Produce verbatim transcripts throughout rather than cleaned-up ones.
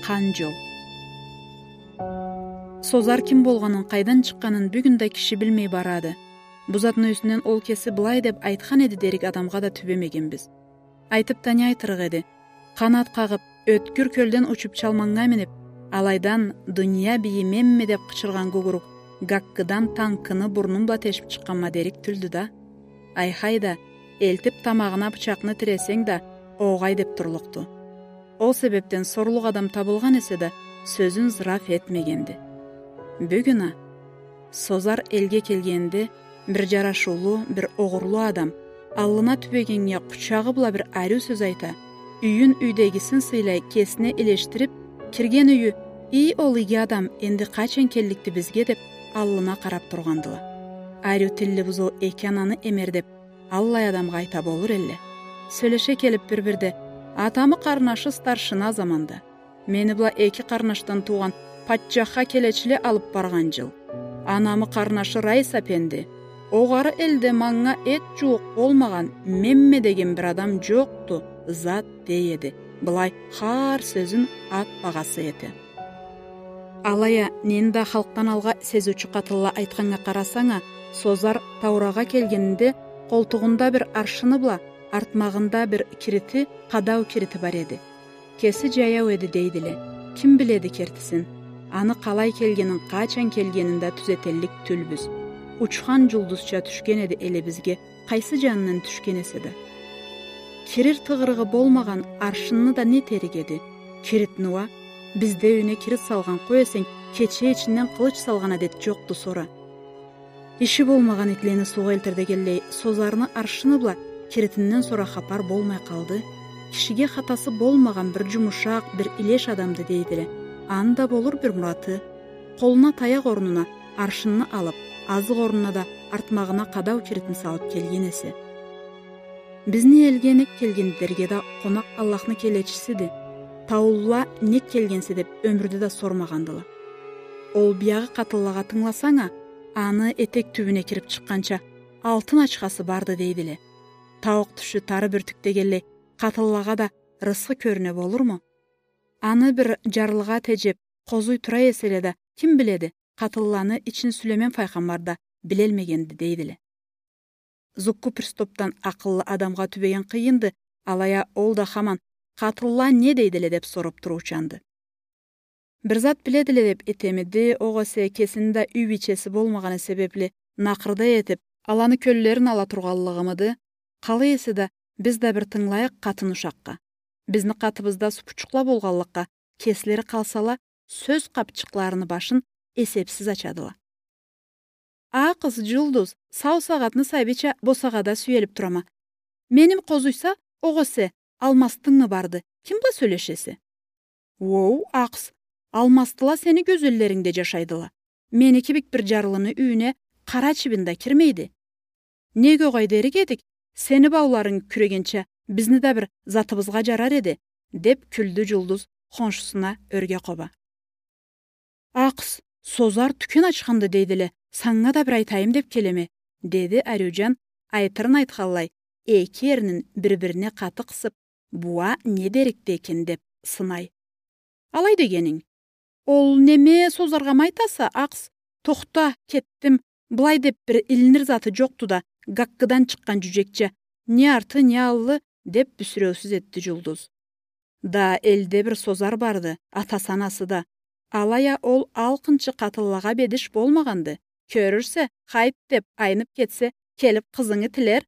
Чыкъгъан джол. Созар ким болгъанын, къайдан чыкъгъанын бюгюн да киши билмей барады. Бу затны юсюнден ол кеси былай деп айтхан эди дерик адамгъа да тюбемегенбиз. Айтып да не айтырыкъ эди? Къанат къагъып, ёткюр кёлден учуп чалманнга минип, алайдан «Дуния бийи менме» деп къычыргъан гугурук гаккыдан танкыны бурнум бла тешип чыкъгъанма дерик тюлдю да. Айхай да, элтип тамагъына бычакъны тиресенг да, огъай деп турлукъду. Ол себепден сорлукъ адам табылгъан эсе да, сёзюн зыраф этмегенди. Бюгюн а, Созар элге келгенде, бир джарашыулу, бир огъурлу адам, аллына тюбегеннге къучагъы бла бир ариу сёз айта, юйюн юйдегисин сыйлай, кесине илешдирип, кирген юйю: «Ий, ол иги адам энди къачан келликди бизге?» — деп, аллына къарап тургъандыла. Ариу тилли бузоу эки ананы эмер деп, аллай адамгъа айта болур элле. Сёлеше келип бир-бирде: «Атамы къарнашы старшина заманда. Мени бла эки къарнашдан туугъан патчахха келечиле алып баргъан джыл. Анамы къарнашы Раис апенди. Огъары элде манга эт джууукъ болмагъан Менме деген бир адам джокъду, зат», — дей эди. Былай хар сёзюн ат багъасы эте. Алай а, нени да халкъдан алгъа сезиучю къатынла айтханнга къарасанг а, Созар Таурагъа келгенинде къолтугъунда бир аршыны бла артмагъында бир кирити, къадау кирити бар эди. Кеси джаяу эди дейдиле. Ким биледи кертисин? Аны къалай келгенин, къачан келгенин да тюзетеллик тюлбюз. Учхан джулдузча тюшген эди элибизге, къайсы джанындан тюшген эсе да. Кирир тыгъырыгъы болмагъан аршынны да не этерик эди? Киритни уа, бизде юйюне кирит салгъан, къой эсенг, кече ичинден къылыч салгъан адет джокъду сора. Иши болмагъан итлени суугъа элтир дегенлей, Созарны аршыны бла киритинден сора хапар болмай къалды. Кишиге хатасы болмагъан бир джумушакъ, бир илеш адамды дейдиле. Аны да болур бир мураты. Къолуна таякъ орнуна аршынны алып, азыкъ орнуна да артмагъына къадау киритин салып келген эсе. Бизни элге нек келгенди дерге да, къонакъ Аллахны келечисиди. Таулула нек келгенсе деп ёмюрде да сормагъандыла. Ол биягъы къатынлагъа тынгыласанг а, аны этек тюбюне кирип чыкъгъанча алтын ачхасы барды дейдиле. Тауукъ тюшю тары бюртюк дегенлей, къатынлагъа да рысхы кёрюне болурму? Аны бир джарлыгъа теджеп, къозуй тура эселе да, ким биледи, къатынланы ичин Сюлеймен файгъамбар да билелмегенди дейдиле. Зукку пристопдан акъыллы адамгъа тюбеген къыйынды, алай а ол да хаман: «Къатынла не дейдиле?» — деп соруп туруучанды. Бир зат биледиле деп этемиди, огъесе кесини да юй бийчеси болмагъаны себепли накъырда этип, аланы кёллерин ала тургъанлыгъымыды? Къалай эсе да, биз да бир тынгылайыкъ къатын ушакъгъа. Бизни къатыбызда супучукъла болгъанлыкъгъа, кеслери къалсала, сёз къапчыкъларыны башын эсепсиз ачадыла. «Акъыс, Джулдуз, сау сагъатны сабийча босагъада сюелип турама. Меним къозуйса, огъесе, алмастынгмы барды, ким бла сёлешесе?» «Уоу, акъыс, алмастыла сени гёзеллерингде джашайдыла. Мени кибик бир джарлыны юйюне къара чибин да кирмейди. Нек огъай дерик эдик, сени бауларынг кюрегенча, бизни да бир затыбызгъа джарар эди», — деп кюлдю Джулдуз хоншусуна ёрге къоба. «Акъыс, Созар тюкен ачханды дейдиле, санга да бир айтайым деп келеме», — деди ариуджан, айтырын айтханлай, эки эрнин бир-бирине къаты къысып, «Бу а не дерикди экен?» — деп сынай. «Алай дегенинг? Ол неме, Созаргъамы айтаса, акъыс? Тохта, кетдим, былай деп бир илинир заты джокъду да, гаккыдан чыкъгъан джюджекча, не арты, не аллы», — деп бюсюреусюз этди Джулдуз. «Да элде бир Созар барды, атасы-анасы да. Алай а ол алкъынчы къатынлагъа бедиш болмагъанды. Кёрюрсе, хайт деп айнып кетсе, келип къызынгы тилер».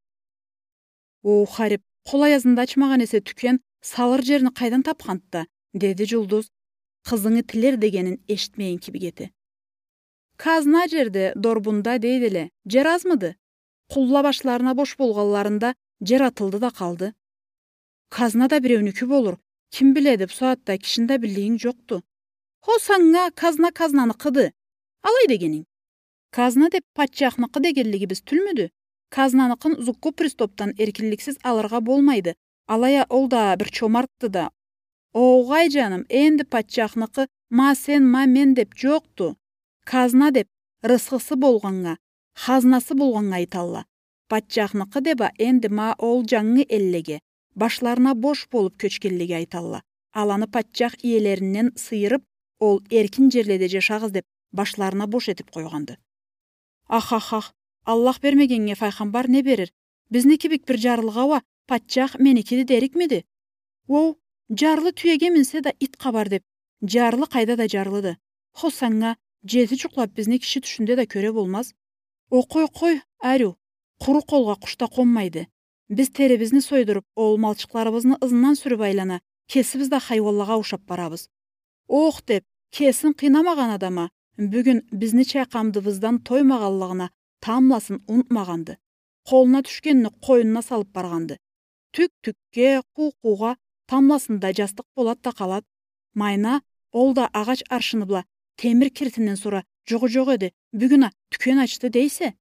«Оу, харип, къол аязында ачмагъан эсе тюкен, салыр джерни къайдан тапханды да?» — деди Джулдуз, къызынгы тилер дегенин эшитмеген кибик эте. «Казна джерде, дорбунда дейдиле, джер азмыды? Къулла башларына бош болгъанларында джер атылды да къалды». «Казна да биреунюки болур, ким биледи, бу сагъатда кишини да биллигинг джокъду». «Хо, санга казна казнаныкъыды. Алай дегенинг?» «Казна деп патчахныкъы дегенлигибиз тюлмюдю? Казнаныкъын Зукку пристопдан эркинликсиз алыргъа болмайды. Алай а ол да бир чомартды да». «Огъай, джаным, энди патчахныкъы ма сен, ма мен деп джокъду. Казна деп рысхысы болгъаннга, хазнасы болгъаннга айталла. Патчахныкъы деп а энди ма ол джангы эллеге, башларына бош болуп кёчгенлеге айталла. аланы патчах иелеринден сыйырып, ол эркин джерледе джашагъыз деп, башларына бош этип къойгъанды. Ах, ах, ах, Аллах бермегеннге файгъамбар не берир? Бизни кибик бир джарлыгъа уа патчах меникиди дерикмиди? Оу, джарлы тюеге минсе да ит къабар деп, джарлы къайда да джарлыды. Хо санга, джети джукълап бизни киши тюшюнде да кёре болмаз. О, къой, къой, ариу, къуру къолгъа къуш да къонмайды. Биз терибизни сойдуруп, ол малчыкъларыбызны ызындан сюрюп айлана, кесибиз да хайуанлагъа ушап барабыз. Ох, деп, кесин къыйнамагъан адам а, бюгюн бизни чайкъандыбыздан тоймагъанлыгъына тамбласын унутмагъанды. Къолуна тюшгенни къойнуна салып баргъанды. Тюк тюкге, къуу къуугъа тамбласында джастыкъ болад да къалад. Майна, ол да агъач аршыны бла темир киритинден сора джугъу джокъ эди, бюгюн а тюкен ачды дейсе?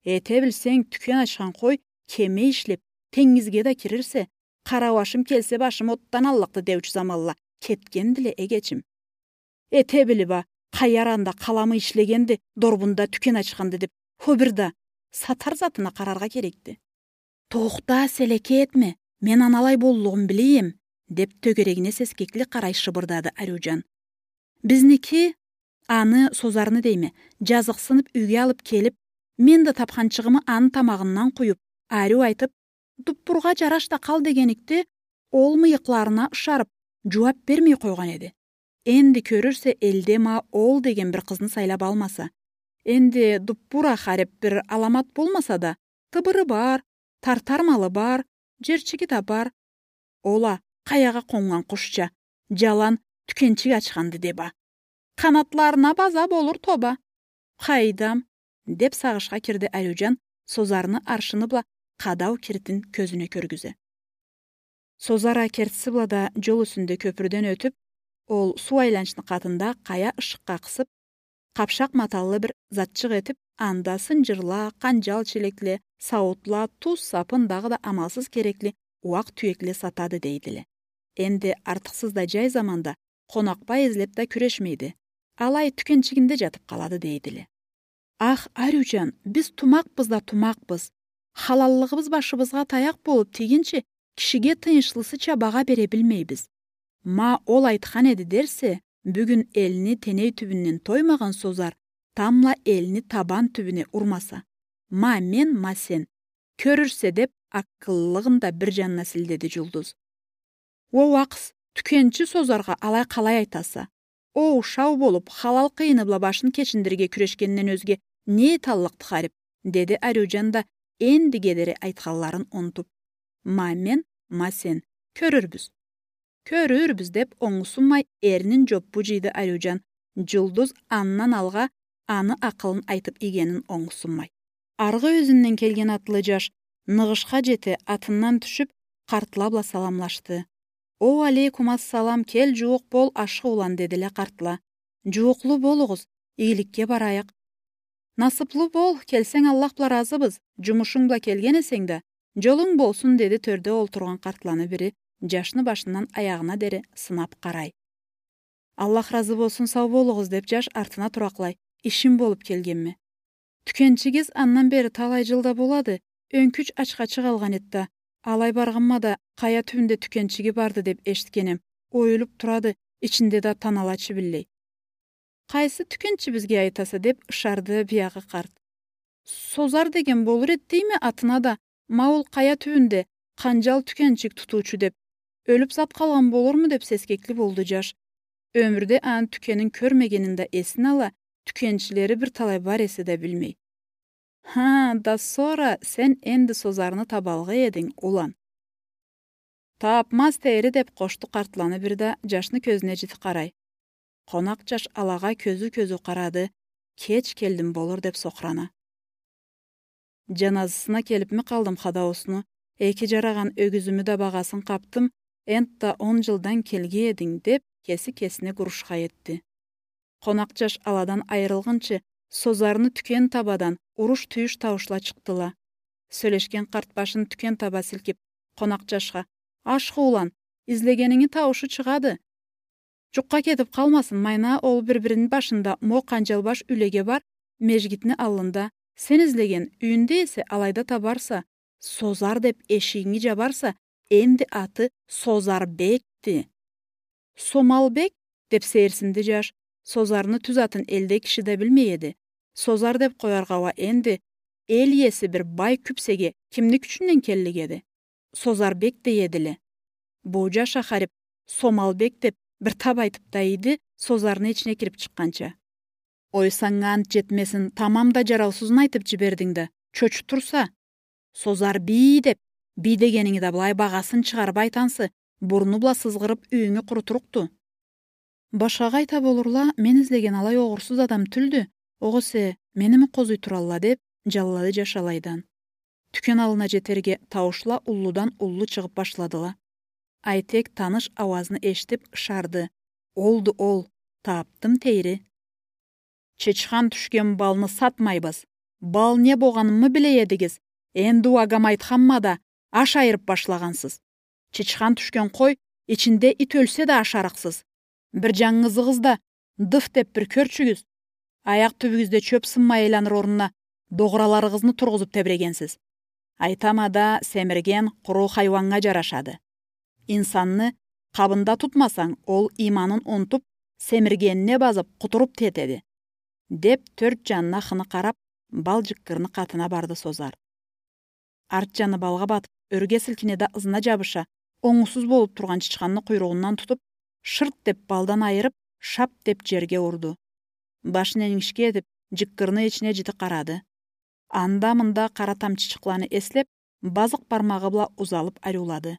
Эте билсенг, тюкен ачхан къой кеме ишлеп, тенгизге да кирирсе, къарауашым келсе, башым отдан аллыкъды деучю заманла кетгендиле, эгечим. Эте билип а, къайда анда къаламы ишлегенди, дорбунда тюкен ачханды деп, хо бир да, сатар затына къараргъа керекди. Тохта, селеке этме, мен аны алай боллугъун биле эдим, деп тёгерегине сескекли къарай шыбырдады Ариуджан. Бизники, аны, Созарны дейме, джазыкъсынып юйге алып келип, мен да тапханчыгъымы аны тамагъындан къуюп, ариу айтып, дуппургъа джараш да къал дегеникде, ол мыйыкъларына ышарып, джууап бермей къойгъан эди. Энди кёрюрсе, элде ма ол деген бир къызны сайлап алмаса. Энди дуппур а харип бир аламат болмаса да, тыбыры бар, тартар малы бар, джерчиги да бар. Ол а къаягъа къоннган къушча, джалан тюкенчик ачханды деп а. Къанатларына база болур тоба. Къайдам, деп сагъышха кирди Ариуджан, Созарны аршыны бла къадау киритин кёзюне кёргюзе. Созар а кертиси бла да джол юсюнде кёпюрден ётюп, ол суу айланчны къатында къая ышыкъгъа къысып, къапшакъ маталлы бир затчыкъ этип, анда сынджырла, къанджал челекле, сауутла, туз, сапын, дагъыда амалсыз керекли ууакъ тюекле сатады дейдиле. Энди артыкъсыз да джай заманда къонакъбай излеп да кюрешмейди. Алай тюкенчигинде джатып къалады дейдиле. Ах, Ариуджан, биз тумакъбыз да тумакъбыз. Халаллыгъыбыз башыбызгъа таякъ болуп тийгинчи, кишиге тыйыншлысыча багъа бере билмейбиз. Ма ол айтхан эди дерсе, бюгюн элни теней тюбюнден тоймагъан Созар тамбла элни табан тюбюне урмаса. Ма мен, ма сен. Кёрюрсе, деп, акъыллылыгъын да бир джанына силдеди Джулдуз. Оу, акъс, тюкенчи Созаргъа алай къалай айтаса? Оу, шау болуп, халал къыйыны бла башын кечиндирирге кюрешгенден ёзге не эталлыкъды харип? Деди Ариуджан да, энди кедери айтханларын унутуп. Ма мен, ма сен. Кёрюрбюз. Кёрюрбюз, деп, онгусунмай, эрнин джоппу джыйды Ариуджан. Джулдуз андан алгъа аны акъылын айтып ийгенин онгусунмай. Аргъы ёзюнден келген атлы джаш ныгъышха джете, атындан тюшюп, къартла бла саламлашды. Оу алейкум ассалам, кел, джууукъ бол, ашхы улан, дедиле къартла. Джууукълу болугъуз, игиликге барайыкъ. Насыплы бол, келсенг, Аллах бла разыбыз, джумушунг бла келген эсенг да, джолунг болсун, деди тёрде олтургъан къартланы бири, джашны башындан аягъына дери сынап къарай. Аллах разы болсун, сау болугъуз, деп, джаш артына туракълай, ишим болуп келгенме. Тюкенчигиз андан бери талай джыл да болады, ёнкюч ачха чыгъалгъан эди да, алай баргъанма да, къая тюбюнде тюкенчиги барды деп эшитгенем, оюлуп турады, ичинде да танала чибинлей. Къайсы тюкенчибизге айтаса, деп ышарды биягъы къарт. Созар деген болур эди дейме атына да, ма ол къая тюбюнде къанджал тюкенчик тутуучу деп, ёлюп зат къалгъан болурму деп сескекли болду джаш. Ёмюрде аны тюкенин кёрмегенин да эсине ала, тюкенчилери бир талай бар эсе да билмей. Ха, да сора сен энди Созарны табалгъа эдинг, улан. Тапмаз тейри, деп къошду къартланы бири да, джашны кёзюне джити къарай. Къонакъ джаш алагъа кёзю-кёзю къарады, кеч келдим болур деп сокърана. Джаназысына келипми къалдым хадаусну, эки джарагъан ёгюзюмю да багъасын къапдым, энтда он джылдан келге эдинг, деп, кеси кесине гурушха этди. Къонакъ джаш аладан айырылгъынчы, Созарны тюкен табадан уруш-тюйюш тауушла чыкъдыла. Сёлешген къарт башын тюкен таба силкип, къонакъ джашха: «Ашхы улан, излегенинги тауушу чыгъады. Джукъгъа кетип къалмасын, майна ол бир-бирини башында мо къанджалбаш юйлеге бар, межгитни аллында. Сен излеген юйюнде эсе алайда табарса, Созар деп эшигинги джабарса, энди аты Созарбекди». «Сомалбек?» — деп сейирсинди джаш. Созарны тюз атын элде киши да билмей эди. Созар деп къояргъа уа энди эл иеси бир бай кюпсеге кимни кючюнден келлик эди? Созарбек дей эдиле. Бу джаш ахарип, Сомалбек деп бир таб айтып да ийди, Созарны ичине кирип чыкъгъанча. «Ой, санга ант джетмесин, тамам да джараусузун айтып джибердинг да, чочутурса. Созар бий деп, бий дегенинги да былай багъасын чыгъарып айтансы, бурну бла сызгъырып юйюнгю къурутурукъду». «Башхагъа айта болурла, мен излеген алай огъурсуз адам тюлдю, огъесе меними къозуй туралла», — деп джаллады джаш алайдан. Тюкен аллына джетерге тауушла уллудан уллу чыгъып башладыла. Айтек таныш ауазны эшитип ышарды. «Олду ол, тапдым, тейри». «Чычхан тюшген балны сатмайбыз. Бал не болгъанымы биле эдигиз. Энди уа гам айтханма да, аш айырып башлагъансыз. Чычхан тюшген къой, ичинде ит ёлсе да ашарыкъсыз. Бир джангызыгъыз да дыф деп бир кёрчюгюз. Аякъ тюбюгюзде чёп сынмай айланыр орнуна догъураларыгъызны тургъузуп тебирегенсиз. Айтама да, семирген къуру хайуаннга джарашады. Инсанны къабында тутмасанг, ол ийманын унутуп, семиргенине базып, къутуруп тетеди», — деп, тёрт джанына хыны къарап, бал джыккырны къатына барды Созар. Арт джаны балгъа батып, ёрге силкине да ызына джабыша, онгусуз болуп тургъан чычханны къуйругъундан тутуп, шырт деп балдан айырып, шап деп джерге урду. Башын энгишге этип, джыккырны ичине джити къарады. Анда-мында къара тамчычыкъланы эслеп, базыкъ бармагъы бла узалып ариулады.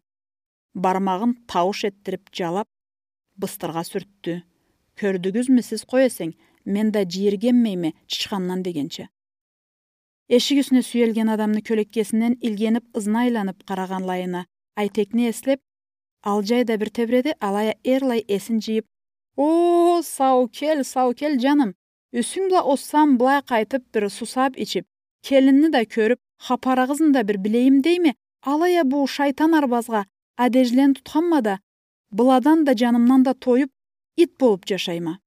Бармагъын таууш этдирип джалап, быстыргъа сюртдю. «Кёрдюгюзмю сиз, къой эсенг, мен да джийиргенмейме чычхандан» дегенча. Эшик юсюне сюелген адамны кёлеккесинден илгенип, ызына айланып къарагъанлайына, Айтекни эслеп, алджай да бир тебиреди, алай а эрлай эсин джыйып: «О, сау кел, сау кел, джаным. Юсюнг бла озсам, былай къайтып бир сусап ичип, келинни да кёрюп, хапарыгъызны да бир билейим дейме, алай а бу шайтан арбазгъа адежлени тутханма да, быладан да, джанымдан да тоюп, ит болуп джашайма.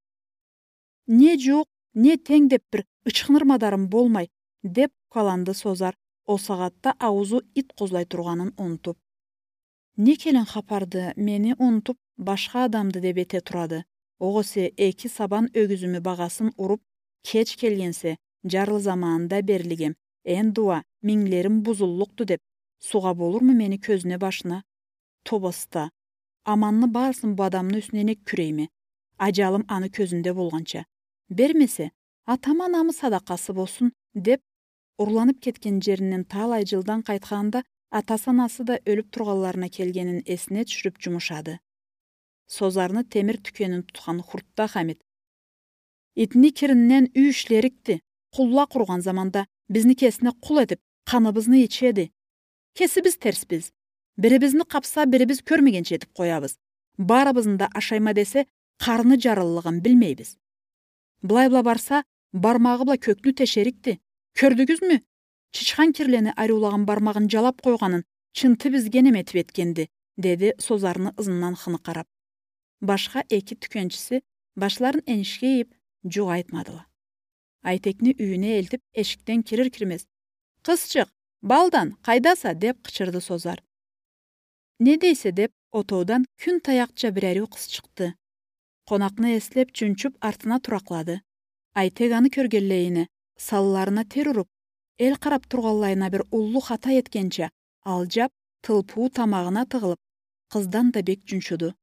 Не джууукъ, не тенг деп бир ычхыныр мадарым болмай», — деп укаланды Созар, ол сагъатда ауузу ит къозлай тургъанын унутуп. «Не келин хапарды, мени унутуп, башха адамды деп эте турады. Огъесе эки сабан ёгюзюмю багъасын уруп, кеч келгенсе, джарлы заманында берлигем, энди уа минглерим бузуллукъду деп, сугъа болурму мени кёзюне-башына? Тобоста, аманны барысын бу адамны юсюне нек кюрейме? Аджалым аны кёзюнде болгъанча. Бермесе, атама намыс садакъасы болсун», — деп, урланып кетген джеринден талай джылдан къайтханында атасы-анасы да ёлюп тургъанларына келгенин эсине тюшюрюп джумушады. Созарны темир тюкенин тутхан хуртда Хамит: «Итни киринден юй ишлерикди. Къулла къургъан заманда бизни кесине къул этип, къаныбызны ичеди. Кесибиз терсбиз. Бирибизни къапса, бирибиз кёрмегенча этип къоябыз. Барыбызны да ашайма десе, къарны джарыллыгъын билмейбиз. Былай бла барса, бармагъы бла кёкню тешерикди. Кёрдюгюзмю? Чычхан кирлени ариулагъан бармагъын джалап къойгъанын чынты бизге неме этип этгенди», — деди Созарны ызындан хыны къарап. Башха эки тюкенчиси башларын энишге ийип, джукъ айтмадыла. Айтекни юйюне элтип, эшикден кирир-кирмез: «Къызчыкъ, балдан, къайдаса?» — деп къычырды Созар. «Не дейсе?» — деп, отоудан кюн таякъча бир ариу къыз чыкъды. Къонакъны эслеп, чунчуп, артына туракълады. Айтек аны кёргенлейине, санларына тер уруп, эл къарап тургъанлайына бир уллу хата этгенча, алджап, тылпыуу тамагъына тыгъылып, къыздан да бек чунчуду.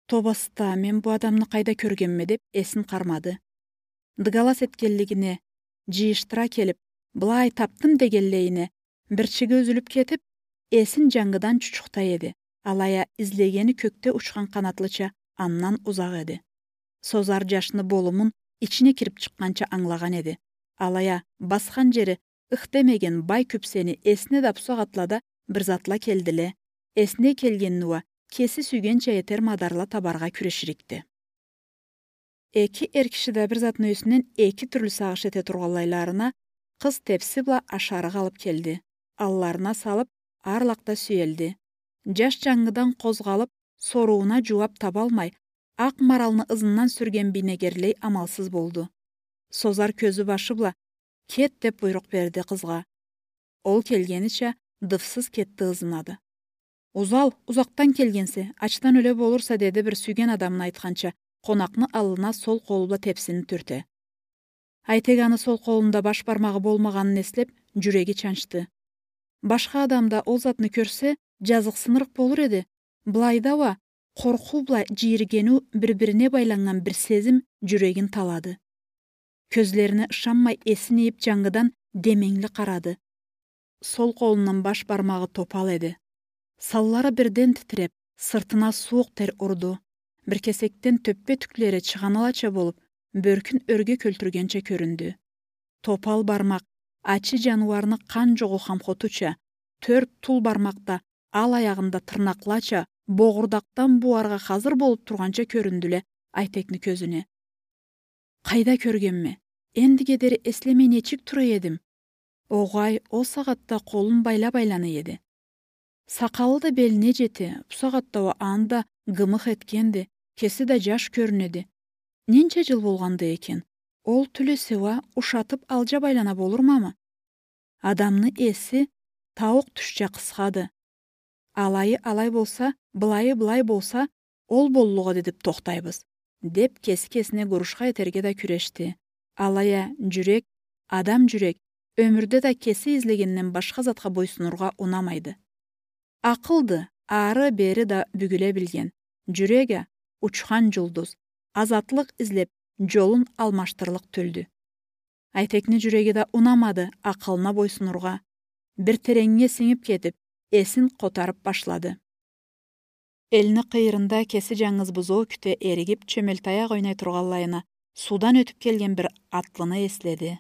«Тобоста, мен бу адамны къайда кёргенме?» — деп эсин къармады. Дыгалас этгенлигине, джыйышдыра келип, «Былай тапдым» дегенлейине, бирчиги юзюлюп кетип, эсин джангыдан чучукъда эди. Алай а излегени кёкде учхан къанатлыча андан узакъ эди. Созар джашны болумун ичине кирип чыкъгъанча ангылагъан эди. Алай а басхан джери ых демеген бай кюпсени эсине да бу сагъатлада бир затла келдиле. Эсине келгенни уа кеси сюйгенча этер мадарла табаргъа кюреширикди. Эки эр киши да бир затны юсюнден эки тюрлю сагъыш эте тургъанлайларына, къыз тепси бла ашарыкъ алып келди. Алларына салып, арлакъда сюелди. Джаш джангыдан къозгъалып, сорууна джууап табалмай, акъ маралны ызындан сюрген бийнегерлей амалсыз болду. Созар кёзю-башы бла: «Кет», — деп буйрукъ берди къызгъа. Ол келгенича дыфсыз кетди ызына да. «Узал, узакъдан келгенсе, ачдан ёле болурса», — деди бир сюйген адамына айтханча, къонакъны аллына сол къолу бла тепсини тюрте. Айтек аны сол къолунда баш бармагъы болмагъанын эслеп, джюреги чанчды. Башха адам да ол затны кёрсе, джазыкъсынырыкъ болур эди. Былайда уа къоркъуу бла джийиргениу бир-бирине байланнган бир сезим джюрегин талады. Кёзлерине ышанмай, эсин ийип, джангыдан деменгили къарады. Сол къолундан баш бармагъы топал эди. Саллары бирден титиреп, сыртына сууукъ тер урду. Бир кесекден тёппе тюклери чыгъаналача болуп, бёркюн ёрге кёлтюргенча кёрюндю. Топал бармакъ, ачы джаныуарны къан джугъуу хамхотуча, тёрт тул бармакъ да ал аягъында тырнакълача, богъурдакъдан бууаргъа хазыр болуп тургъанча кёрюндюле Айтекни кёзюне. Къайда кёргенме? Эндиге дери эслемей нечик тура эдим? Огъай, ол сагъатда къолун байлап айлана эди. Сакъалы да белине джете, бу сагъатда уа аны да гымых этгенди, кеси да джаш кёрюнеди. Ненча джыл болгъанды экен? Ол тюл эсе уа ушатып алджа байлана болурмамы? Адамны эси тауукъ тюшча къысхады. Алайы алай болса, былайы былай болса, ол боллукъ эди деп тохтайбыз, деп кеси кесине гурушха этерге да кюрешди. Алай а джюрек, адам джюрек, ёмюрде да кеси излегенден башха затха бойсунургъа унамайды. Акъылды, ары-бери да бюгюле билген. Джюрек а учхан джулдуз, азатлыкъ излеп, джолун алмашдырлыкъ тюлдю. Айтекни джюреги да унамады акъылына бойсунургъа. Бир тереннге сингип кетип, эсин къотарып башлады. Элни къыйырында кеси джангыз бузоу кюте эригип, чёмелтаякъ ойнай тургъанлайына, суудан ётюп келген бир атлыны эследи.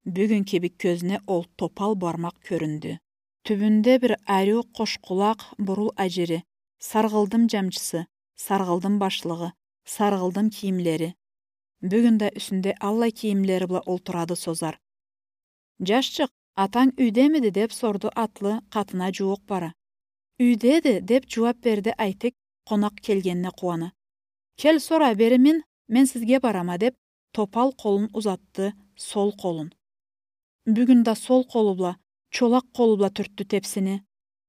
Бюгюн кибик кёзюне ол топал бармакъ кёрюндю. Тюбюнде бир ариу къошкъулакъ бурул аджири, саргъылдым джамчысы, саргъылдым башлыгъы, саргъылдым кийимлери. Бюгюн да юсюнде аллай кийимлери бла олтурады Созар. «Джашчыкъ, атанг юйдемиди?» — деп сорду атлы къатына джууукъ бара. «Юйдеди», — деп джууап берди Айтек, къонакъ келгенине къууана. «Кел, сора, бери мин, мен сизге барама», — деп, топал къолун узатды, сол къолун. Бюгюн да сол къолу бла, чолакъ къолу бла тюртдю тепсини.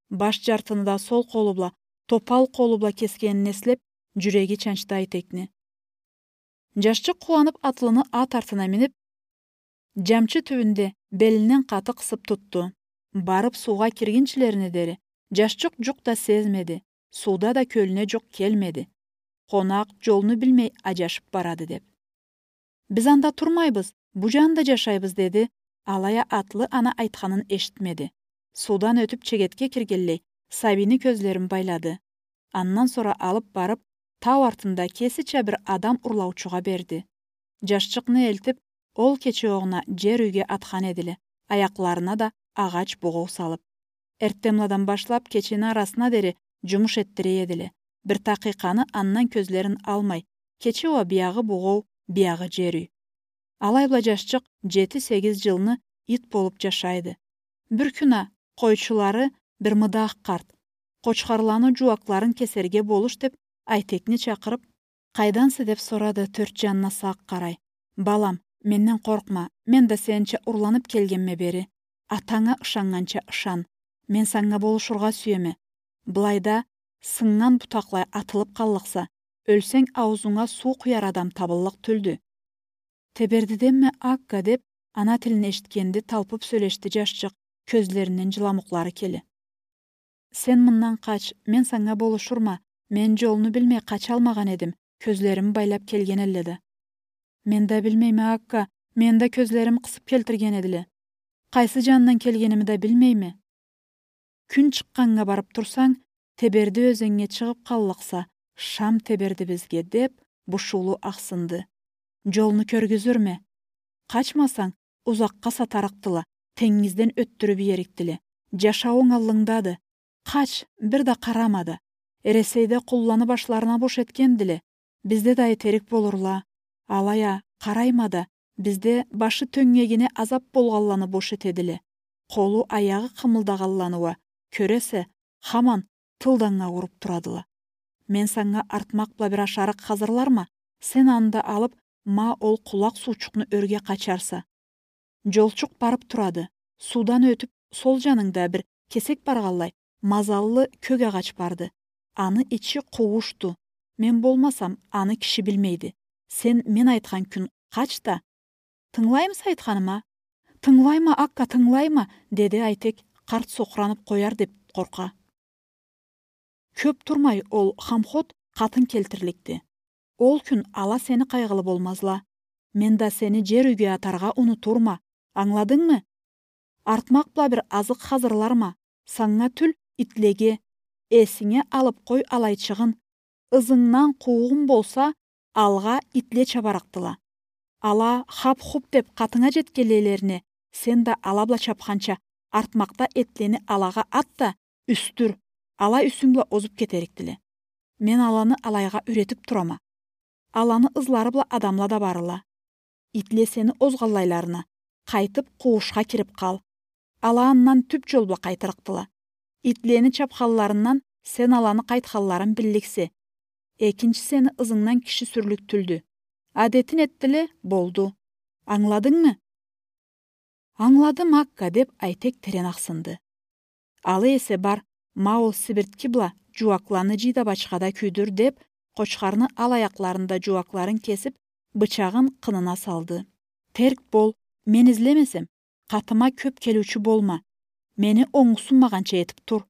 Баш джартыны да сол къолу бла, топал къолу бла кесгенин эслеп, джюреги чанчды Айтекни. Джашчыкъ къууанып атлыны ат артына минип, джамчы тюбюнде белинден къаты къысып тутду. Барып суугъа киргинчилерине дери, джашчыкъ джукъ да сезмеди, сууда да кёлюне джукъ келмеди. Къонакъ джолну билмей аджашып барады деп. «Биз анда турмайбыз, бу джанда джашайбыз», — деди. Алай а атлы аны айтханын эшитмеди. Суудан ётюп чегетге киргенлей, сабийни кёзлерин байлады. Андан сора алып барып, тау артында кесича бир адам урлаучугъа берди. Джашчыкъны элтип, ол кече огъуна джер юйге атхан эдиле, аякъларына да агъач бугъоу салып. Эртденбладан башлап кечени арасына дери джумуш этдире эдиле. Бир такъыйкъаны андан кёзлерин алмай, кече уа биягъы бугъоу, биягъы джер юй. Алай бла джашчыкъ джети-сегиз джылны ит болуп джашайды. Бир кюн а къойчулары бир мыдах къарт: «Къочхарланы джууакъларын кесерге болуш», — деп, Айтекни чакъырып, «Къайданса?» — деп сорады, тёрт джанына сакъ къарай. «Балам, менден къоркъма, мен да сенича урланып келгенме бери. Атанга ышаннганча ышан. Мен санга болушургъа сюеме. Былайда сыннган бутакълай атылып къаллыкъса, ёлсенг, аузунга суу къуяр адам табыллыкъ тюлдю». «Тебердиденме, Акка?» — деп, ана тилин эшитгенде талпып сёлешди джашчыкъ, кёзлеринден джыламукълары келе. «Сен мындан къач, мен санга болушурма, мен джолну билмей къачалмагъан эдим, кёзлерими байлап келген элле да». «Мен да билмейме, Акка, мени да кёзлерим къысып келтирген эдиле. Къайсы джандан келгеними да билмейме». «Кюн чыкъгъаннга барып турсанг, Теберди ёзеннге чыгъып къаллыкъса, шам теберди бизге», — деп, бушуулу ахсынды. «Джолну кёргюзюрме. Къачмасанг, узакъгъа сатарыкъдыла, тенгизден ётдюрюп иерикдиле. Джашауунг аллынгдады. Къач, бир да къарама да. Эресейде къулланы башларына бош этгендиле. Бизде да этерик болурла. Алай а, къарайма да, бизде башы тёнгегине азап болгъанланы бош этедиле. Къолу, аягъы къымылдагъанланы уа, кёресе, хаман тылданнга уруп турадыла. Мен санга артмакъ бла бир ашарыкъ хазырларма, сен аны да алып, ма ол къулакъ суучукъну ёрге къачарса». Джолчукъ барып турады. Суудан ётюп, сол джанынгда бир кесек баргъанлай, мазаллы кёк агъач барды. Аны ичи къууушду. Мен болмасам, аны киши билмейди. Сен мен айтхан кюн къач да. Тынгылаймыса айтханыма? Тынгылайма, Акка, тынгылайма, деди Айтек, къарт сокъуранып къояр деп къоркъа. Кёп турмай ол хамхот къатын келтирликди. Ол кюн ала сени къайгъылы болмазла. Мен да сени джер юйге атаргъа унутурма. Ангыладынгмы? Артмакъ бла бир азыкъ хазырларма. Санга тюл, итлеге. Эсинге алып къой алайчыгъын. Ызынгдан къуугъунг болса, алгъа итле чабарыкъдыла. Ала хап-хуп деп къатынга джетгенлейлерине, сен да ала бла чапханча, артмакъда этлени алагъа ат да, юсдюр, ала юсюнг бла озуп кетерикдиле. Мен аланы алайгъа юйретип турама. Аланы ызлары бла адамла да барыла. Итле сени озгъанлайларына, къайтып къууушха кирип къал. Ала андан тюп джол бла къайтырыкъдыла. Итлени чапханларындан сен аланы къайтханларын билликсе. Экинчи сени ызынгдан киши сюрлюк тюлдю. Адетин этдиле, болду. Ангыладынгмы? Ангыладым, Акка, деп Айтек терен ахсынды. Ала эсе бар, ма ол сибиртки бла джууакъланы джый да бачхада кюйдюр, деп, къочхарны ал аякъларында джууакъларын кесип, бычагъын къынына салды. Терк бол, мен излемесем, къатыма кёп келиучю болма. Мени онгусунмагъанча этип тур.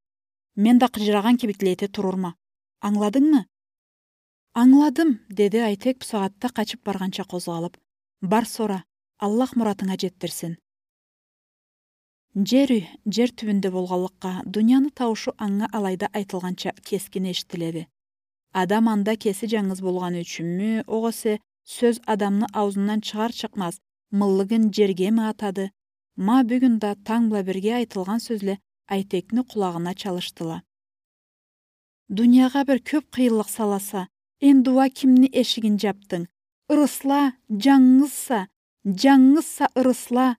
Мен да къыджырагъан кибикли эте турурма. Ангыладынгмы? Ангыладым, деди Айтек бусагъатда къачып баргъанча къозгъалып. Бар сора, Аллах муратынга джетдирсин. Джер юй, джер тюбюнде болгъанлыкъгъа, дунияны тауушу анга алайда айтылгъанча кескин эшитиледи. Адам анда кеси джангыз болгъаны ючюнмю, огъесе сёз адамны ауузундан чыгъар-чыкъмаз, мыллыгын джергеми атады? Ма бюгюн да танг бла бирге айтылгъан сёзле Айтекни къулагъына чалышдыла. Дуниягъа бир кёп къыйынлыкъ саласа, энди уа кимни эшигин джапдынг? Ырысла, джангызса, джангызса ырысла.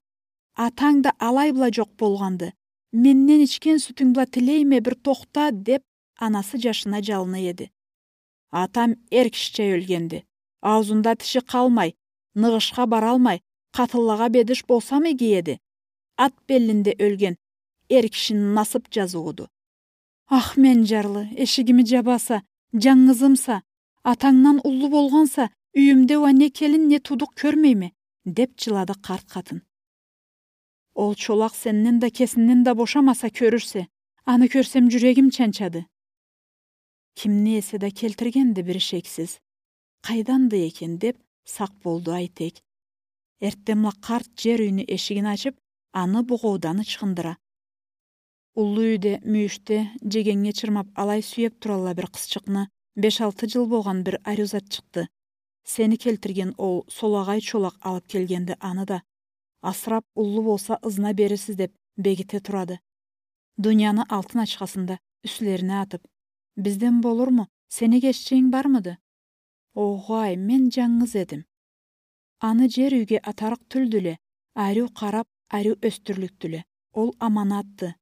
Атанг да алай бла джокъ болгъанды. Менден ичген сютюнг бла тилейме, бир тохта, деп, анасы джашына джалына эди. Атам эр кишича ёлгенди. Ауузунда тиши къалмай, ныгъышха баралмай, къатынлагъа бедиш болсамы иги эди? Ат беллинде ёлген эр кишини насып джазыууду. Ах, мен джарлы, эшигими джабаса, джангызымса, атангдан уллу болгъанса, юйюмде уа не келин, не туудукъ кёрмейме, деп джылады къарт къатын. Ол чолакъ сенден да, кесинден да бошамаса, кёрюрсе, аны кёрсем, джюрегим чанчады. Кимни эсе да келтиргенди бир ишексиз. Къайданды экен, деп, сакъ болду Айтек. Эртденбла къарт джер юйню эшигин ачып, аны бугъоудан ычхындыра. Уллу юйде, мюйюшде, джегеннге чырмап, алай сюеп туралла бир къызчыкъны, беш-алты джыл болгъан бир ариу затчыкъды. Сени келтирген ол солагъай чолакъ алып келгенди аны да. Асырап, уллу болса, ызына берирсиз деп, бегите турады. Дунияны алтын ачхасын да юслерине атып. Бизден болурму? Сени кеччегинг бармыды? Огъай, мен джангыз эдим. Аны джер юйге атарыкъ тюлдюле, ариу къарап, ариу ёсдюрлюкдюле. Ол аманатды.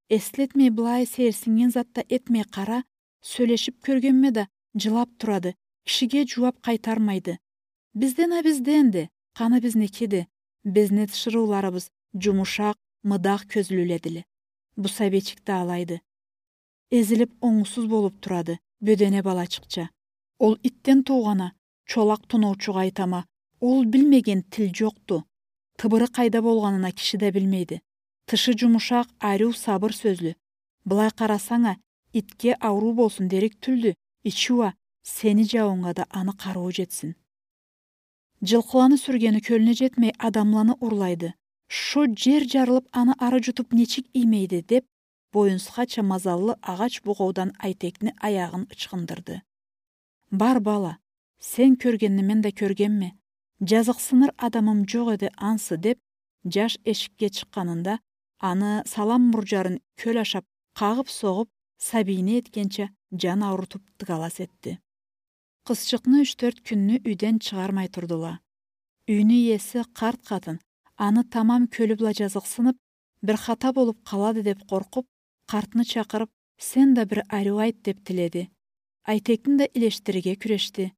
Эслетмей былай сейирсиннген зат да этмей къара, сёлешип кёргенме да, джылап турады, кишиге джууап къайтармайды. Бизден а бизденди, къаны бизникиди. Бизни тиширыуларыбыз джумушакъ, мыдах кёзлюледиле. Бу сабийчик да алайды. Эзилип, онгусуз болуп турады, бёдене балачыкъча. Ол итден туугъан а, чолакъ тоноучугъа айтама, ол билмеген тил джокъду. Тыбыры къайда болгъанын а киши да билмейди. Тышы джумушакъ, ариу, сабыр сёзлю. Былай къарасанг а, итге ауруу болсун дерик тюлдю, ичи уа, сени джауунга да аны къарыуу джетсин. Джылкъыланы сюргени кёлюне джетмей, адамланы урлайды. Шо джер джарылып, аны ары джутуп нечик иймейди, деп, боюнсхача мазаллы агъач бугъоудан Айтекни аягъын ычхындырды. Бар, бала, сен кёргенни мен да кёргенме. Джазыкъсыныр адамым джокъ эди ансы, деп, джаш эшикге чыкъгъанында, аны салам мурджарын кёл ашап, къагъып-согъуп, сабийни этгенча, джан аурутуп, дыгалас этди. Къызчыкъны юч-тёрт кюнню юйден чыгъармай турдула. Юйню иеси, къарт къатын, аны тамам кёлю бла джазыкъсынып, бир хата болуп къалады деп къоркъуп, къартны чакъырып, сен да бир ариу айт деп тиледи. Айтекни да илешдирирге кюрешди.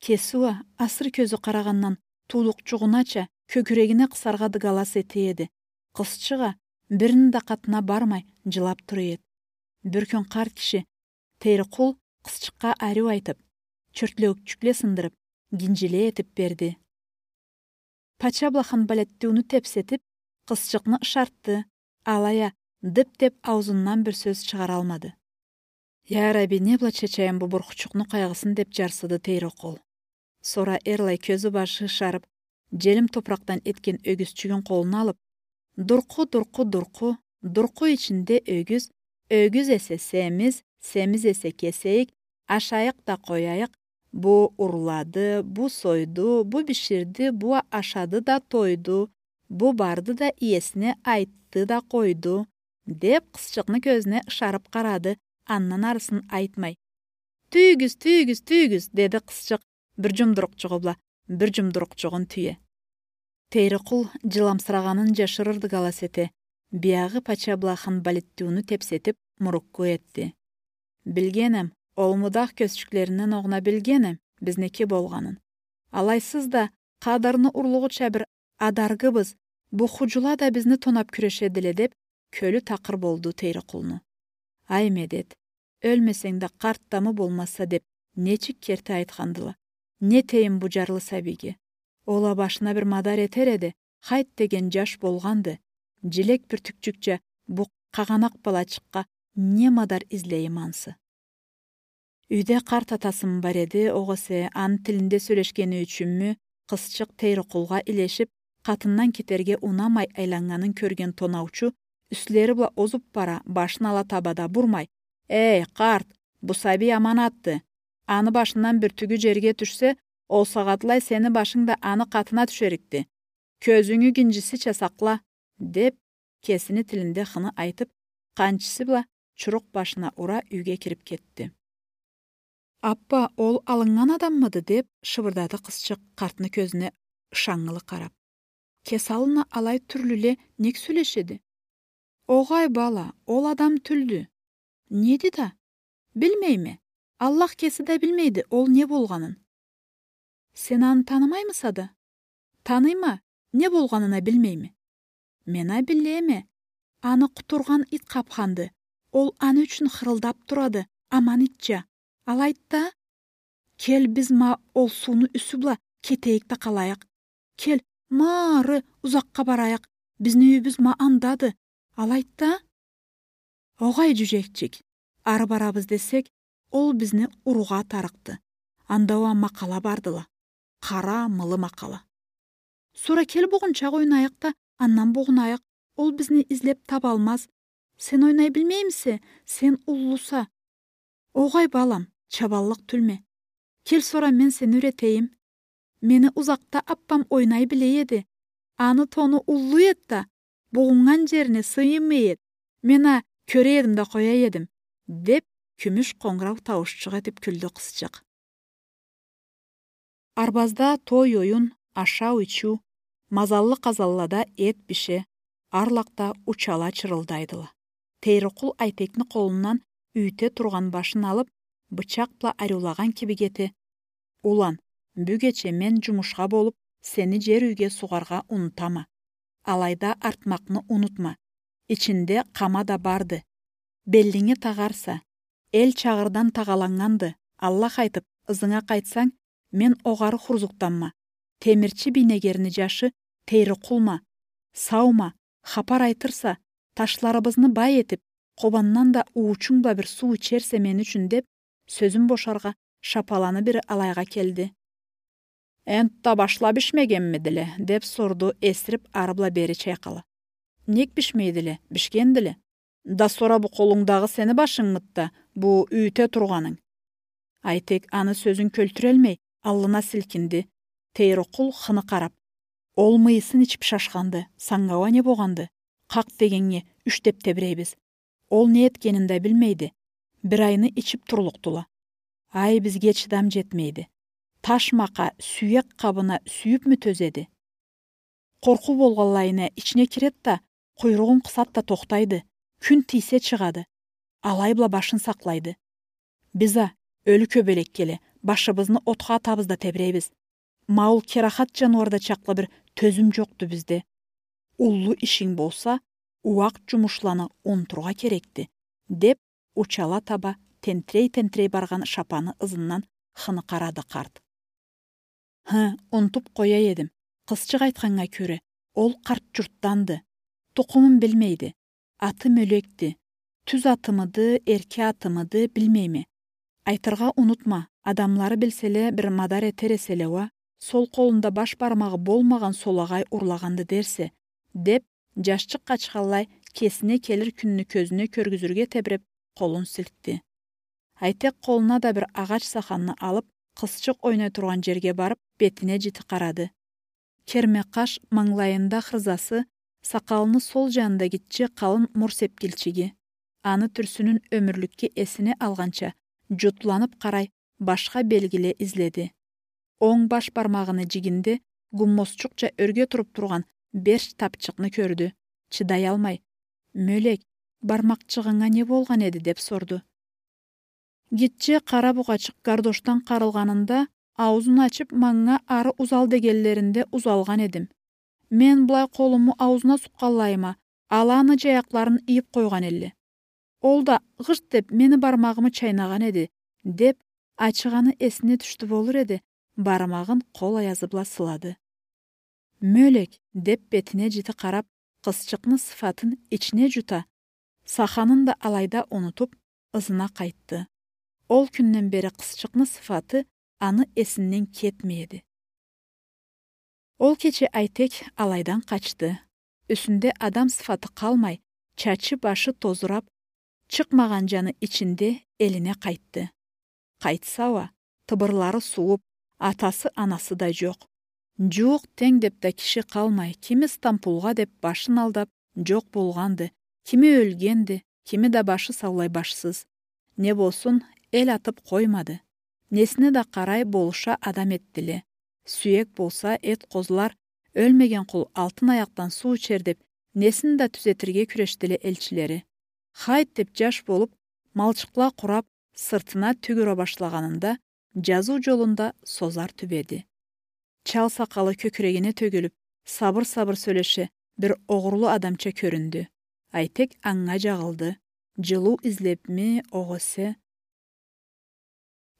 Кеси уа, асыр кёзю къарагъандан, туудукъчугъунача, кёкюрегине къысаргъа дыгалас эте эди. Къызчыкъ а бирини да къатына бармай, джылап тура эди. Бир кюн къарт киши Тейрикъул къызчыкъгъа ариу айтып, чёртлеукчюкле сындырып, гинжиле этип берди. Пача бла Ханбалеттиуню тепсетип, къызчыкъны ышартды, алай а «дып» деп аузундан бир сёз чыгъаралмады. «Я Раби, не бла чечайым бу бурхучукъну къайгъысын», — деп джарсыды Тейрикъул. Сора эрлай кёзю-башы ышарып, джелим топуракъдан этген ёгюзчюгюн къолуна алып: «Дуркъу, дуркъу, дуркъу, дуркъу ичинде ёгюз, ёгюз эсе семиз, семиз эсе кесейик, ашайыкъ да къояйыкъ, бу урлады, бу сойду, бу биширди, бу а ашады да тойду, бу барды да иесине айтды да къойду», — деп къызчыкъны кёзюне ышарып къарады, андан арысын айтмай. «Тюйюгюз, тюйюгюз, тюйюгюз», — деди къызчыкъ, бир джумдурукъчугъу бла бир джумдурукъчугъун тюе. Тейрикъул джыламсырагъанын джашырырды галас эте, биягъы пача бла Ханбалеттиуню тепсетип, мурукку этди. «Билгенем, ол мудах кёзчюклеринден огъуна билгенем бизники болгъанын. Алайсыз да, къадырны урлугъуча бир адаргыбыз, бу худжула да бизни тонап кюрешедиле», — деп, кёлю такъыр болду Тейрикъулну. «Ай, медет, ёлмесенг да, къарт да мы болмаса», — деп, нечик керти айтхандыла. Не этейим бу джарлы сабийге? Ол а башына бир мадар этер эди, хайт деген джаш болгъанды. Джилек бюртюкчюкча бу къагъанакъ балачыкъгъа не мадар излейим ансы? Юйде къарт атасымы бар эди, огъесе аны тилинде сёлешгени ючюнмю, къызчыкъ Тейрикъулгъа илешип, къатындан кетерге унамай айланнганын кёрген тонаучу, юслери бла озуп бара, башын ала таба да бурмай: «Эй, къарт, бу сабий аманатды. Аны башындан бюртюгю джерге тюшсе, ол сагъатлай сени башынг да аны къатына тюшерикди. Кёзюнгю гинджисича сакъла», — деп, кесини тилинде хыны айтып, къанчысы бла чурукъ башына ура, юйге кирип кетди. «Аппа, ол алыннган адаммыды?» — деп шыбырдады къызчыкъ, къартны кёзюне ышаннгылы къарап. «Кесалына алай тюрлюле нек сёлешеди?» «Огъай, бала, ол адам тюлдю». «Неди да?» «Билмейме. Аллах кеси да билмейди ол не болгъанын». «Сен аны танымаймыса да?» «Таныйма, не болгъанын а билмейме». «Мен а билеме. Аны къутургъан ит къапханды. Ол аны ючюн хырылдап турады, аман итча. Алайды да». «Кел, биз ма ол сууну юсю бла кетейик да къалайыкъ. Кел, ма ары узакъгъа барайыкъ. Бизни юйюбюз ма андады. Алайды да». «Огъай, джюджекчик, ары барабыз десек, ол бизни уругъа атарыкъды. Анда уа макъала бардыла. Къара, мылы макъала». «Сора кел, бугъунчакъ ойнайыкъ да, андан бугъунайыкъ. Ол бизни излеп табалмаз. Сен ойнай билмеймисе, сен уллуса». «Огъай, балам, чабанлыкъ тюлме. Кел, сора мен сени юретейим. Мени узакъда аппам ойнай биле эди. Аны тону уллу эди да, бугъуннган джерине сыймай эди. Мен а кёре эдим да къоя эдим», — деп, кюмюш къонгурау тауушчукъ этип кюлдю къызчыкъ. Арбазда той-оюн, ашау-ичиу, мазаллы къазанлада эт бише, арлакъда учала чырылдайдыла. Тейрикъул Айтекни къолундан юйте тургъан башын алып, бычакъ бла ариулагъан кибик эте: «Улан, бюгече мен джумушха болуп, сени джер юйге сугъаргъа унутама. Алайда артмакъны унутма. Ичинде къама да барды. Беллинге тагъарса, эл чагъырдан тагъаланнганды. Аллах айтып, ызынга къайтсанг, мен огъары Хурзукданма. Темирчи Бийнегерни джашы Тейрикъулма. Саума, хапар айтырса, ташларыбызны бай этип, Къобандан да уучунг бла бир суу ичерсе мени ючюн», — деп, сёзюн бошаргъа, шапаланы бири алайгъа келди. «Энтда башла бишмегенмидиле?» — деп сорду, эсирип ары бла бери чайкъала. «Нек бишмейдиле? Бишгендиле. Да сора бу къолунгдагъы сени башынгмыды да, бу юйте тургъанынг?» Айтек аны сёзюн кёлтюрелмей, аллына силкинди. Тейрикъул хыны къарап: «Ол мыйысын ичип шашханды, санга уа не богъанды? Къакъ дегеннге юч деп тебирейбиз. Ол не этгенин да билмейди. Бир айны ичип турлукъдула. Ай, бизге чыдам джетмейди. Таш макъа сюек къабына сюйюпмю тёзеди? Къоркъуу болгъанлайына ичине киред да, къуйругъун къысад да тохтайды, кюн тийсе чыгъады. Алай бла башын сакълайды. Биз а, ёлю кёбелек келе, башыбызны отха атабыз да тебирейбиз. Ма ол керахат джаныуарда чакълы бир тёзюм джокъду бизде. Уллу ишинг болса, ууакъ джумушланы унутургъа керекди», — деп, учала таба тентирей-тентирей баргъан шапаны ызындан хыныкъарады къарт. Хы, унутуп къоя эдим. Къызчыкъ айтханнга кёре, ол къарт джуртданды. Тукъумун билмейди. Аты Мёлекди. Тюз атымыды, эрке атымыды, билмейме. Айтыргъа унутма, адамлары билселе, бир мадар этер эселе уа, сол къолунда баш бармагъы болмагъан солагъай урлагъанды дерсе, деп, джашчыкъ къачханлай кесине келир кюнню кёзюне кёргюзюрге тебиреп, къолун силкди. Айтек къолуна да бир агъач саханны алып, къызчыкъ ойнай тургъан джерге барып, бетине джити къарады. Керме къаш, манглайында хырзасы, сакъалыны сол джанында гитче къалын мур сепкилчиги. Аны тюрсюнюн ёмюрлюкге эсине алгъанча, джутланып къарай, башха белгиле изледи. Онг баш бармагъыны джигинде гуммозчукъча ёрге туруп тургъан берч тапчыкъны кёрдю. Чыдаялмай: «Мёлек, бармакъчыгъынга не болгъан эди?» — деп сорду. Гитче къара бугъачыкъ гардошдан къарылгъанында, аузун ачып, манга ары узал дегенлеринде узалгъан эдим. Мен былай къолуму аузуна сукъгъанлайыма, ала аны джаякъларын ийип къойгъан элле. Ол да гъыжт деп мени бармагъымы чайнагъан эди, — деп, ачыгъаны эсине тюшдю болур эди, бармагъын къол аязы бла сылады. «Мёлек», — деп бетине джити къарап, къызчыкъны сыфатын ичине джута, саханын да алайда унутуп, ызына къайтды. Ол кюнден бери къызчыкъны сыфаты аны эсинден кетмей эди. Ол кече Айтек алайдан къачды. Юсюнде адам сыфаты къалмай, чачы-башы тозурап, чыкъмагъан джаны ичинде элине къайтды. Къайтса уа, тыбырлары сууп, атасы-анасы да джокъ. Джууукъ-тенг деп да киши къалмай, кими Стамбулгъа деп башын алдап, джокъ болгъанды, кими ёлгенди, кими да башы саулай башсыз. Не болсун, эл атып къоймады. Несине да къарай болуша адам этдиле. Сюек болса, эт къозлар, ёлмеген къул алтын аякъдан суу ичер деп, несин да тюзетирге кюрешдиле элчилери. Хайт деп джаш болуп, малчыкъла къурап, сыртына тюк ура башлагъанында, джазыу джолунда Созар тюбеди. Чал сакъалы кёкюрегине тёгюлюп, сабыр-сабыр сёлеше, бир огъурлу адамча кёрюндю. Айтек анга джагъылды. Джылыу излепми, огъесе?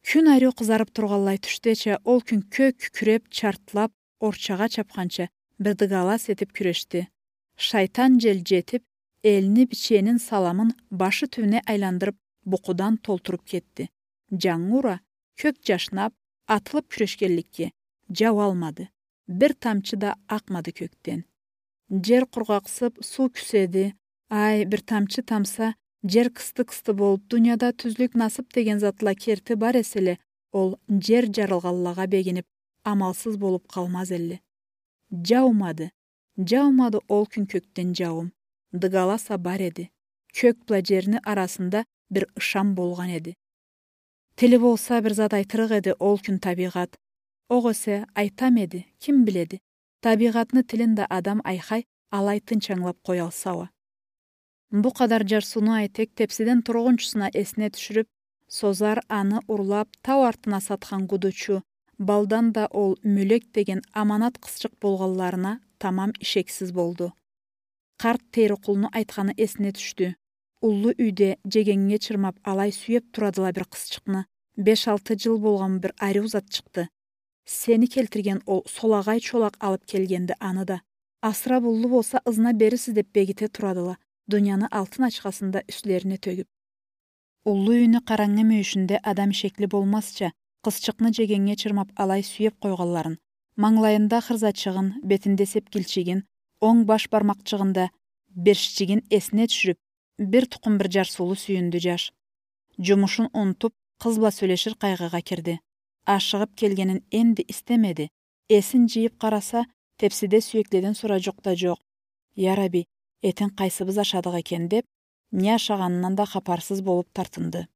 Кюн ариу къызарып тургъанлай тюшдеча, ол кюн кёк кюкюреп, чартлап, орчагъа чапханча, бир дыгалас этип кюрешди. Шайтан джел джетип, элни, биченин саламын башы тюбюне айландырып, букъудан толтуруп кетди. Джангы ура, кёк джашнап, атылып кюрешгенликге, джауалмады. Бир тамчы да акъмады кёкден. Джер къургъакъсып, суу кюседи. Ай, бир тамчы тамса, джер кысты-кысты болуп, дунияда тюзлюк, насып деген затла керти бар эселе, ол джер джарылгъанлагъа бегинип, амалсыз болуп къалмаз элле. Джаумады. Джаумады ол кюн кёкден джауум. Дыгаласа бар эди. Кёк бла джерни арасында бир ышан болгъан эди. Тили болса, бир зат айтырыкъ эди ол кюн табийгъат. Огъесе, айтам эди, ким биледи? Табийгъатны тилин да адам айхай алай тынч ангылап къоялса уа. Бу къадар джарсыуну Айтек тепсиден тургъунчусуна эсине тюшюрюп, Созар аны урлап, тау артына сатхан гудучу, Балдан да ол Мёлек деген аманат къызчыкъ болгъанларына тамам ишексиз болду. Къарт Тейрикъулну айтханы эсине тюшдю. Уллу юйде джегеннге чырмап алай сюеп турадыла бир къызчыкъны. Беш-алты джыл болгъан бир ариу затчыкъды. Сени келтирген ол солагъай чолакъ алып келгенди аны да. Асырап уллу болса, ызына берирсиз деп бегите турадыла, дунияны алтын ачхасын да юслерине тёгюп. Уллу юйню къарангы мюйюшюнде адам ишекли болмазча, къызчыкъны джегеннге чырмап алай сюеп къойгъанларын, манглайында хырзачыгъын, бетинде сепкилчигин, онг баш бармакъчыгъында берччигин эсине тюшюрюп, бир тукъум бир джарсыулу сюйюндю джаш. Джумушун унутуп, къыз бла сёлешир къайгъыгъа кирди. Ашыгъып келгенин энди истемеди. Эсин джыйып къараса, тепсиде сюекледен сора джукъ да джокъ. «Яраби, этин къайсыбыз ашадыкъ экен?» — деп, не ашагъанындан да хапарсыз болуп тартынды.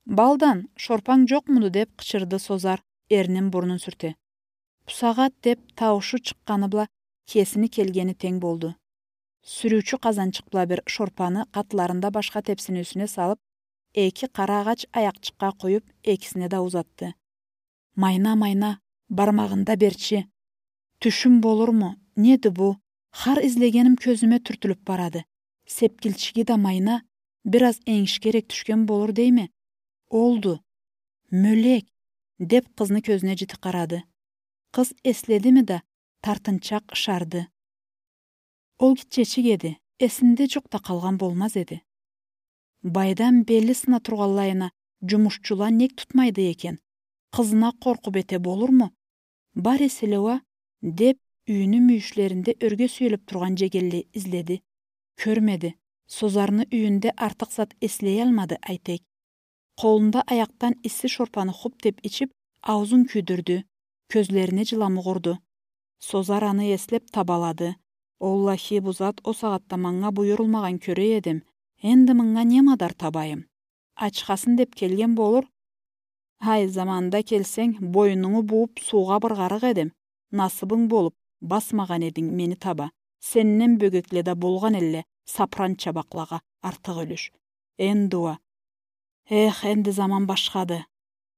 «Балдан, шорпанг джокъмуду?» — деп къычырды Созар, эрнин бурнун сюрте. «Бусагъат», — деп, тауушу чыкъгъаны бла кесини келгени тенг болду. Сюрюучю къазанчыкъ бла бир шорпаны къатларында башха тепсини юсюне салып, эки къара агъач аякъчыкъгъа къуюп, экисине да узатды. «Майна, майна, бармагъында берчи. Тюшюм болурму, неди бу? Хар излегеним кёзюме тюртюлюп барады. Сепкилчиги да майна, Бир аз энгишге эрек тюшген болур дейме. Олду. Мёлек, — деп къызны кёзюне жити къарады. Къыз эследими да, тартынчакъ ышарды. Ол гитчечик эди, эсинде жукъ да къалгъан болмаз эди. Байдан бели сына тургъанлайына жумушчула нек тутмайды экен? Къызына къоркъуп эте болурму? Бар эселе уа, — деп, юйню мюйюшлеринде ёрге сюелип тургъан жегенлей изледи. Кёрмеди. Созарны юйюнде артыкъ зат эслеялмады Айтек. Къолунда аякъдан исси шорпаны хуп деп ичип, аузун кюйдюрдю, кёзлерине жыламукъ урду. Созар аны эслеп табалады. Оллахи, бу зат о сагъатда манга буюрулмагъан кёре эдим. Энди мынга не мадар табайым? Ачхасын деп келген болур. Гьай, заманында келсенг, бойнунгу бууп, суугъа быргъарыкъ эдим. Насыбынг болуп, басмагъан эдинг мени таба. Сенден бёгекле да болгъан элле сапыран чабакълагъа артыкъ юлюш. Энди уа. Эх, энди заман башхады.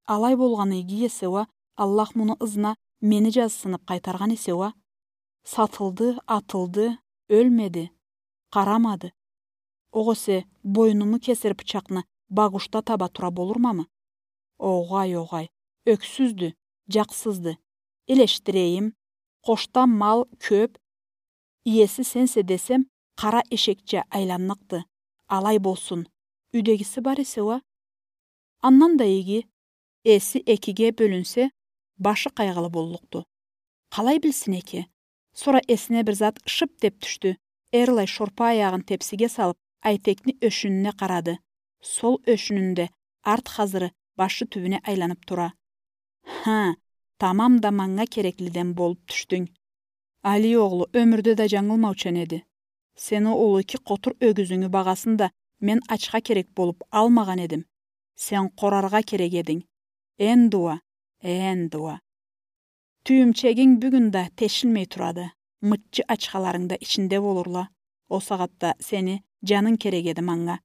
Алай болгъаны иги эсе уа, Аллах муну ызына мени жазсынып къайтаргъан эсе уа. Сатылды, атылды, ёлмеди, къарамады. Огъесе бойнуму кесир бычакъны багушда таба тура болурмамы? Огъай, огъай, ёксюздю, жакъсызды. Элешдирейим, къошда мал кёп, иеси сенсе десем, къара эшекча айланныкъды. Алай болсун. Юйдегиси бар эсе уа. Андан да иги. Эси экиге бёлюнсе, башы къайгъылы боллукъду. Къалай билсин эки? Сора эсине бир зат шып деп тюшдю. Эрлай шорпа аягъын тепсиге салып, Айтекни ёшюнюне къарады. Сол ёшюнюнде арт хазыры башы тюбюне айланып тура. Хы, тамам да манга кереклиден болуп тюшдюнг. Али огълу ёмюрде да жангылмаучан эди. Сени ол эки къотур ёгюзюнгю багъасын да мен ачха керек болуп алмагъан эдим. Сен къораргъа керек эдинг. Энди уа, энди уа. Тюйюмчегинг бюгюн да тешилмей турады. Мыччы ачхаларынг да ичинде болурла. О сагъатда сени жанынг керек эди манга.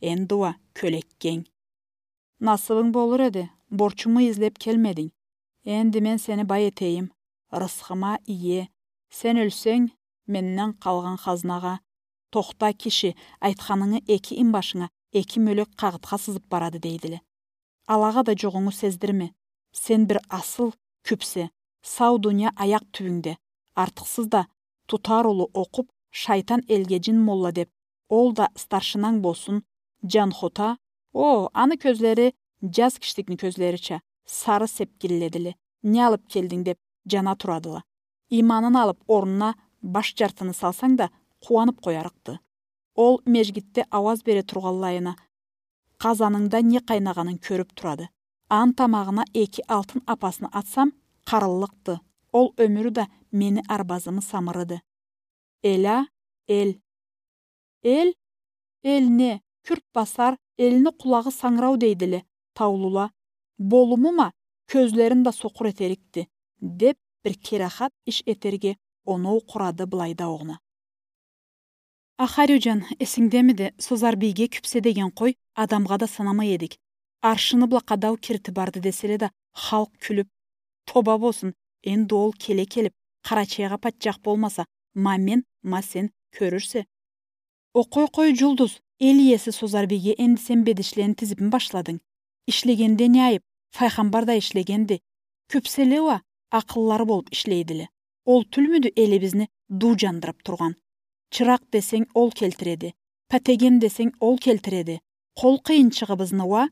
Энди уа кёлеккенг. Насыбынг болур эди, борчуму излеп келмединг. Энди мен сени бай этейим. Рысхыма ие. Сен ёлсенг, менден къалгъан хазнагъа. Тохта, киши, айтханынгы эки инбашынга эки мёлек къагъытха сызып барады дейдиле. Алагъа да жугъунгу сездирме. Сен бир асыл кюпсе, сау дуния аякъ тюбюнгде. Артыкъсыз да, тутар улу окъуп, шайтан элге жин молла деп, ол да старшинанг болсун, Жанхота, о, аны кёзлери жаз киштикни кёзлерича сары сепкилледиле. Не алып келдинг деп жана турадыла. Иманын алып, орнуна баш жартыны салсанг да, къууанып къоярыкъды. Ол межгитде ауаз бере тургъанлайына, къазанында не къайнагъанын кёрюп турады. Аны тамагъына эки алтын апасны атсам, къарыллыкъды. Ол ёмюрю да мени арбазымы самырыды. Эла, эл. Эл, эл не, кюрт басар, элни къулагъы сангырау дейдиле, таулула. Болумума, кёзлерин да сокъур этерикди, деп бир керахат иш этерге оноу къурады былайда огъуна. Ахариуджан, эсингдемиди, Созарбийге кюпсе деген къой, адамгъа да санамай эдик. Аршыны бла къадау кирити барды деселе да, халкъ кюлюп, тоба болсун, энди ол келе келип, Къарачайгъа патчах болмаса, ма мен, ма сен, кёрюрсе. О, къой, къой, Жулдуз, эл иеси Созарбийге энди сен бедишлени тизипми башладынг? Ишлегенде не айып, Файхамбар да ишлегенди. Кюпселе уа акъыллары болуп ишлейдиле. Ол тюлмюдю элибизни дуу жандырып тургъан? Чыракъ десенг, ол келтиреди. Патеген десенг, ол келтиреди. Къол къыйынчыгъыбызны уа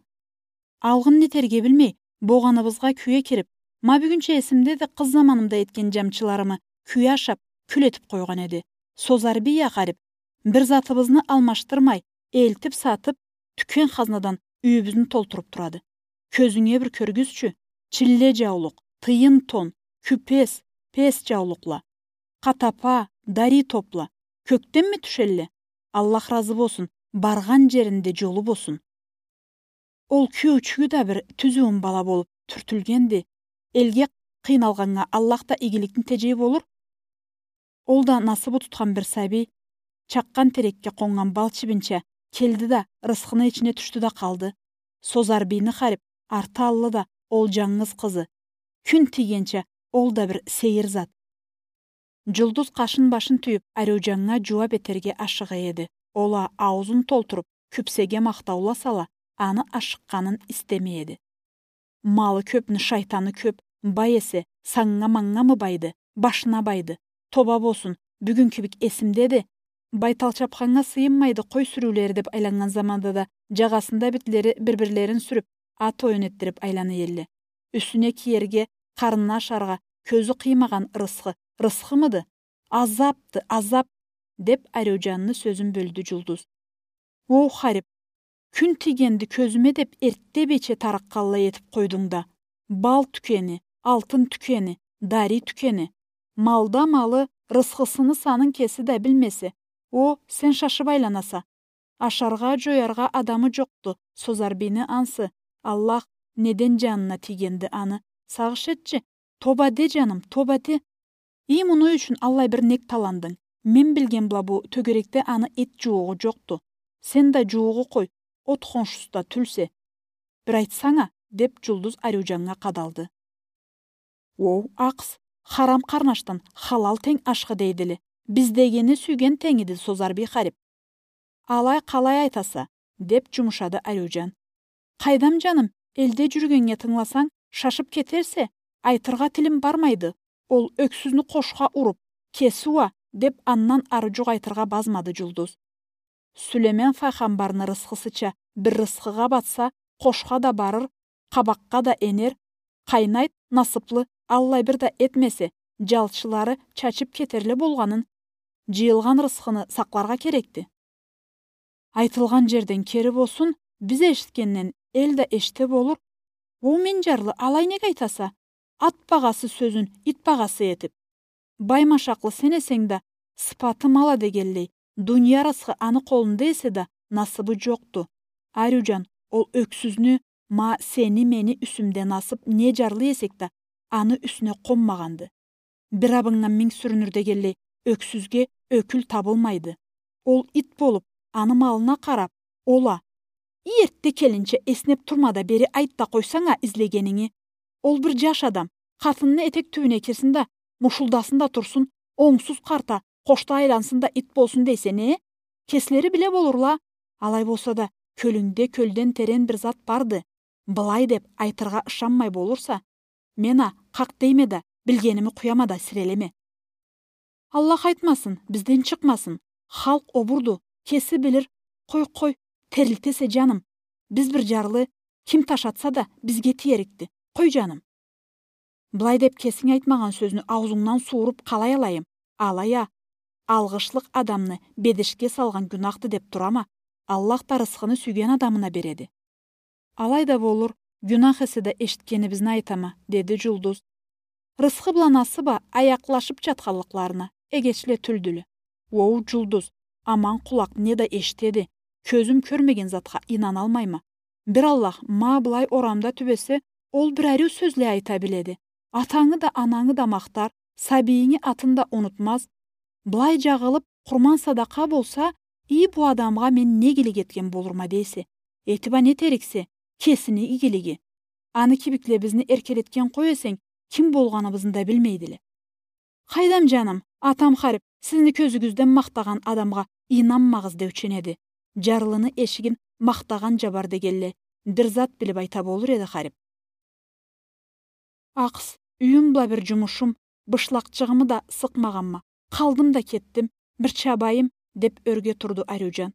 алгъын нетерге билмей, богъаныбызгъа кюе кирип, ма бюгюнча эсимдеди къыз заманымда этген жамчыларымы кюе ашап, кюл этип къойгъан эди. Созарбий а, гъарип, бир затыбызны алмашдырмай, элтип-сатып, тюкен хазнадан юйюбюзню толтуруп турады. Кёзюнге бир кёргюзчю, чилле жаулукъ, тыйын тон, кюпес, пес жаулукъла, къатапа, дарий топла, кёкденми тюшелле? Аллах разы болсун, баргъан жеринде жолу болсун. Ол кюйюучюгю да бир тюз уюм бала болуп тюртюлгенди. Элге къыйналгъаннга Аллах да игиликни тежей болур. Ол да насыбы тутхан бир сабий, чакъгъан терекге къоннган бал чибинча, келди да, рысхыны ичине тюшдю да къалды. Созарбийни, гъарип, арты аллы да ол жангыз къызы. Кюн тийгенча ол да бир сейир зат. Жулдуз къашын-башын тюйюп, Ариуджаннга жууап этерге ашыгъа эди. Ол а, ауузун толтуруп, кюпсеге махтауласала, аны ашыкъгъанын истемей эди. Малы кёпню шайтаны кёп, бай эсе, санга-манга мы байды, башына байды. Тоба болсун, бюгюн кибик эсимдеди. Байтал чапханнга сыйынмайды къой сюрюулери деп айланнган заманда да, джагъасында битлери бир-бирлерин сюрюп, ат оюн этдирип айлана элле. Юсюне киерге, къарнына ашаргъа кёзю къыймагъан рысхы рысхымыды? Азапды, азап, — деп Ариуджанны сёзюн бёлдю Джулдуз. Оу, харип, кюн тийгенди кёзюме деп, эртте бийче тарыкъгъанлай этип къойдунг да. Бал тюкени, алтын тюкени, дарий тюкени. Малда малы, рысхысыны санын кеси да билмесе, о, сен шашып айланаса. Ашаргъа, джояргъа адамы джокъду Созарбийни ансы. Аллах, неден джанына тийгенди аны? Сагъыш этчи, тоба де, джаным, тоба де. И муну ючюн аллай бир нек таландынг? Мен билген бла бу тёгерекде аны эт джууугъу джокъду. Сен да джууугъу къой, от хоншусу да тюлсе. Бир айтсанг а, — деп Джулдуз Ариуджаннга къадалды. Оу, акъс, харам къарнашдан халал тенг ашхы дейдиле. Биздегини сюйген тенг эди Созарбий харип. Алай къалай айтаса, — деп джумушады Ариуджан. Къайдам, джаным, элде джюрюгеннге тынгыласанг, шашып кетерсе, айтыргъа тилим бармайды. Ол ёксюзню къошха уруп, кеси уа, — деп андан ары джукъ айтыргъа базмады Джулдуз. Сюлеймен файгъамбарны рысхысыча бир рысхыгъа батса, къошха да барыр, къабакъгъа да энер, къайнайт, насыплы, аллай бир да этмесе, джалчылары чачып кетерле болгъанын, джыйылгъан рысхыны сакъларгъа керекди. Айтылгъан джерден кери болсун, биз эшитгенден эл да эшите болур. Оу, мен джарлы, алай нек айтаса? Ат багъасы сёзюн ит багъасы этип. Бай машакълы сен эсенг да, сыпаты мал а дегенлей, дуния рысхы аны къолунда эсе да, насыбы джокъду. Ариуджан, ол ёксюзню, ма сени-мени юсюмде насып не джарлы эсек да, аны юсюне къонмагъанды. Бир абыннга минг сюрюнюр дегенлей, ёксюзге ёкюл табылмайды. Ол ит болуп, аны малына къарап, ол а. Эртте келинча эснеп турма да, бери айт да къойсанг а излегенинги. Ол бир джаш адам, къатынны этек тюбюне кирсин да, мушулдасын да турсун, онгсуз къарта, къошда айлансын да, ит болсун дейсе не? Кеслери биле болурла. Алай болса да, кёлюнгде кёлден терен бир зат барды. Былай деп айтыргъа ышанмай болурса, мен а къакъ дейме да, билгеними къуяма да, сирелеме. Аллах айтмасын, бизден чыкъмасын. Халкъ обурду, кеси билир. Къой, къой, терилтесе, джаным. Биз бир джарлы, ким таш атса да, бизге тиерикди. Къой, джаным. Былай деп кесинг айтмагъан сёзню аузунгдан сууруп къалай алайым? Алай а, алгъышлыкъ адамны бедешге салгъан гюнахды деп турама. Аллах да рысхыны сюйген адамына береди. Алай да болур, гюнах эсе да эшитгенибизни айтама, — деди Джулдуз. Рысхы бла насып а аякълашып джатханлыкъларына эгечле тюлдюле. Оу, Джулдуз, аман къулакъ не да эшитеди, кёзюм кёрмеген затха ийнаналмайма. Бир Аллах, ма былай орамда тюбесе, ол бир ариу сёзле айта биледи. Атангы да, анангы да махтар, сабийинги атын да унутмаз. Былай джагъылып, къурман-садакъа болса, и бу адамгъа мен не игилик этген болурма дейсе? Этип а не этериксе, кесини игилиги. Аны кибикле бизни эркелетген къой эсенг, ким болгъаныбызны да билмейдиле. Къайдам, джаным, атам харип, сизни кёзюгюзден махтагъан адамгъа ийнанмагъыз деучен эди. Джарлыны эшигин махтагъан джабар дегенлей, бир зат билип айта болур эди харип. Акъс, юйюм бла бир джумушум, бышлакъчыгъымы да сыкъмагъанма. Къалдым да кетдим, бир чабайым, — деп ёрге турду Ариуджан.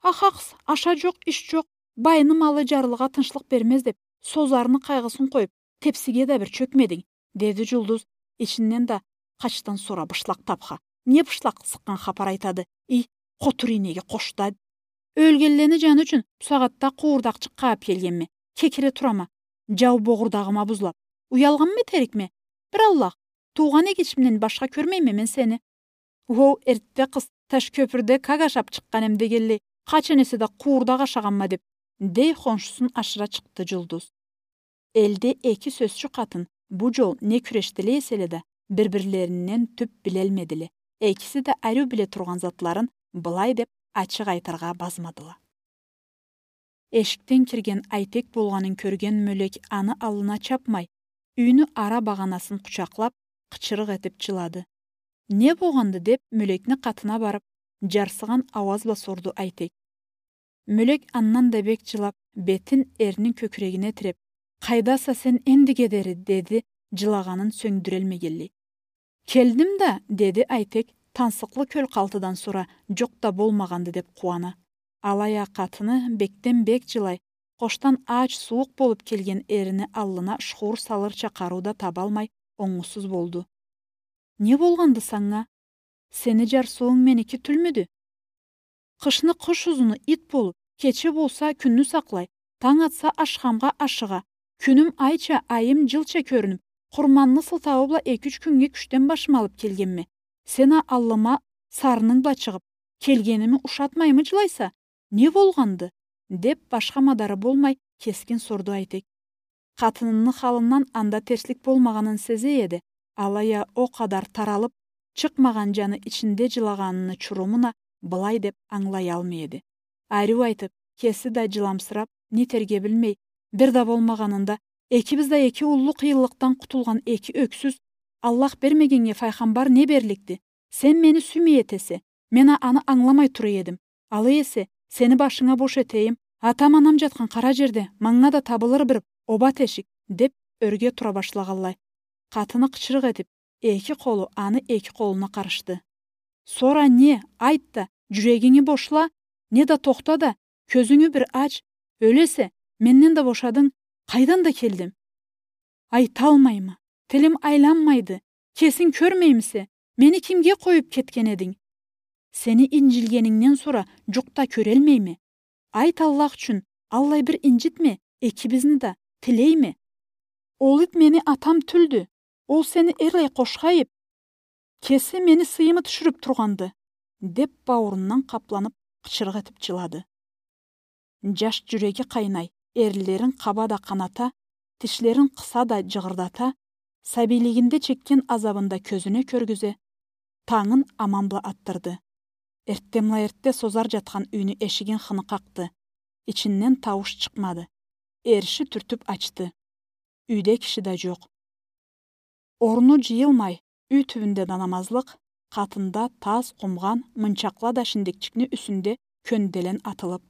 Ахакъс, аша джокъ, иш джокъ, байны малы джарлыгъа тынчлыкъ бермез деп, Созарны къайгъысын къоюп, тепсиге да бир чёкмединг, — деди Джулдуз ичинден да. Къачдан сора бышлакъ тапха. Не бышлакъ сыкъгъан хапар айтады, ий, къотур ийнеги къошда. Ёлгенлени джаны ючюн бусагъатда къууурдакъчыкъ къагъып келгенме. Кекире турама. Джау богъурдагъыма бузлап. Уялгъанмы этерикме? Бир Аллах, туугъан эгечимден башха кёрмейме мен сени. Оу, эртте къыз, таш кёпюрде как ашап чыкъгъан эм дегенлей, къачан эсе да къууурдакъ ашагъанма деп, — дей хоншусун ашыра чыкъды Джулдуз. Элде эки сёзчю къатын бу джол не кюрешдиле эселе да, бир-бирлеринден тюп билелмедиле. Экиси да ариу биле тургъан затларын былай деп ачыкъ айтыргъа базмадыла. Эшикден кирген Айтек болгъанын кёрген Мёлек аны аллына чапмай, юйню ара багъанасын къучакълап, къычырыкъ этип джылады. Не болгъанды деп, Мёлекни къатына барып, джарсыгъан ауаз бла сорду Айтек. Мёлек андан да бек жылап, бетин эрнини кёкюрегине тиреп: «Къайдаса сен эндиге дери?» — деди, жылагъанын сёндюрелмегенлей. «Келдим да», — деди Айтек, тансыкълы кёл къалтыдан сора жукъ да болмагъанды деп къууана. Алай а къатыны бекден бек жылай, къошдан ач, сууукъ болуп келген эрини аллына шуур салырча къарыу да табалмай, онгусуз болду. «Не болгъанды санга? Сени жарсыуунг меники тюлмюдю? Къышны къыш узуну ит болуп, кече болса кюнню сакълай, танг атса ашхамгъа ашыгъа, кюнюм айча, айым жылча кёрюнюп, къурманны сылтауу бла эки-юч кюннге кючден башым алып келгенме. Сен а аллыма сарынынг бла чыгъып, келгеними ушатмаймы жылайса? Не болгъанды?» — деп, башха мадары болмай, кескин сорду Айтек. Къатынынны халындан анда терслик болмагъанын сезе эди, алай а о къадар таралып, чыкъмагъан жаны ичинде жылагъаныны чурумун а былай деп ангылаялмай эди. Ариу айтып, кеси да жыламсырап, не этерге билмей, бир да болмагъанында, «Экибиз да эки уллу къыйынлыкъдан къутулгъан эки ёксюз, Аллах бермегеннге файгъамбар не берликди? Сен мени сюймей этесе, мен а аны ангыламай тура эдим. Алай эсе, сени башынга бош этейим, атам-анам жатхан къара жерде манга да табылыр бир оба тешик», — деп ёрге тура башлагъанлай. Къатыны къычырыкъ этип, эки къолу аны эки къолуна къарышды. «Сора не, айт да, жюрегинги бошла, не да тохта да, кёзюнгю бир ач, ёлесе, менден да бошадынг, къайдан да келдим?» «Айталмайма, тилим айланмайды, кесинг кёрмеймисе, мени кимге къоюп кетген эдинг? Сени инжилгенингден сора жукъ да кёрелмейме. Айт, Аллах ючюн, аллай бир инжитме экибизни да, тилейме. Ол ит мени атам тюлдю, ол сени эрлай къошха ип, кеси мени сыйымы тюшюрюп тургъанды», — деп, бауурундан къапланып, къычырыкъ этип жылады. Жаш жюреги къайнай, эринлерин къаба да къаната, тишлерин къыса да жыгъырдата, сабийлигинде чекген азабын да кёзюне кёргюзе, тангын аман бла атдырды. Эртденбла-эртде Созар жатхан юйню эшигин хыны къакъды. Ичинден таууш чыкъмады. Эриши тюртюп ачды. Юйде киши да жокъ. Орну жыйылмай, юй тюбюнде да намазлыкъ, къатында тас, къумгъан, мынчакъла да шиндекчикни юсюнде кёнделен атылып.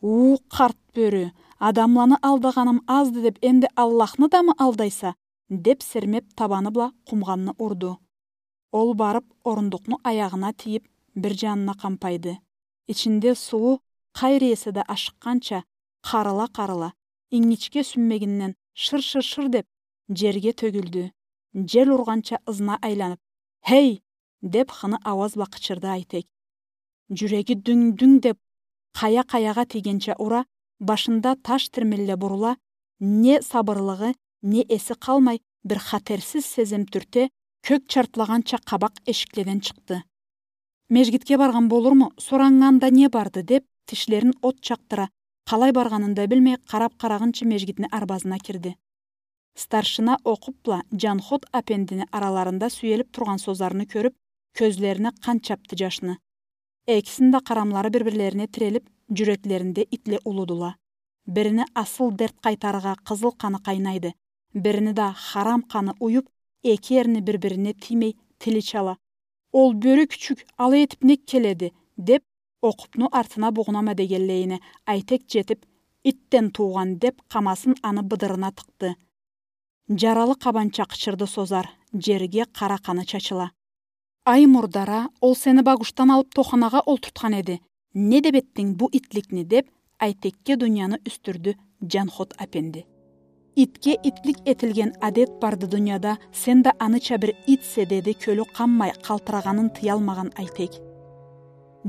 «У, къарт бёрю, адамланы алдагъаным азды деп, энди Аллахны да мы алдайса?» — деп, сермеп, табаны бла къумгъанны урду. Ол барып, орундукъну аягъына тийип, бир жанына къампайды. Ичинде сууу, къайры эсе да ашыкъгъанча, къарыла-къарыла, ингичге сюнмегинден шыр-шыр-шыр деп, жерге тёгюлдю. Жел ургъанча ызына айланып: «Хей!» — деп, хыны ауаз бла къычырды Айтек. Жюреги дюнг-дюнг деп, къая-къаягъа тийгенча ура, башында таш тирмелле бурула, не сабырлыгъы, не эси къалмай, бир хатерсиз сезим тюрте, кёк чартлагъанча къабакъ эшикледен чыкъды. «Межгитге баргъан болурму, сорангъанда не барды?» — деп, тишлерин от чакъдыра, къалай баргъанын да билмей, къарап-къарагъынчы межгитни арбазына кирди. Старшина окъуп бла Жанхот апендини араларында сюелип тургъан Созарны кёрюп, кёзлерине къан чапды жашны. Экисини да къарамлары бир-бирлерине тирелип, жюреклеринде итле улудула. Бирини асыл дерт къайтарыргъа къызыл къаны къайнайды, бирини да харам къаны уюп, эки эрини бир-бирине тиймей, тили чала. «Ол бёрю кючюк алай этип нек келеди?» — деп, окъупну артына бугъунама дегенлейине, Айтек жетип: «Итден туугъан», — деп, къамасын аны быдырына тыкъды. Жаралы къабанча къычырды Созар, жерге къара къаны чачыла. «Ай, мурдара, ол сени багушдан алып тоханагъа олтуртхан эди. Не деп этдинг бу итликни?» — деп, Айтекге дунияны юсдюрдю Жанхот апенди. «Итге итлик этилген адет барды дунияда, сен да аныча бир итсе», — деди кёлю къанмай, къалтырагъанын тыялмагъан Айтек.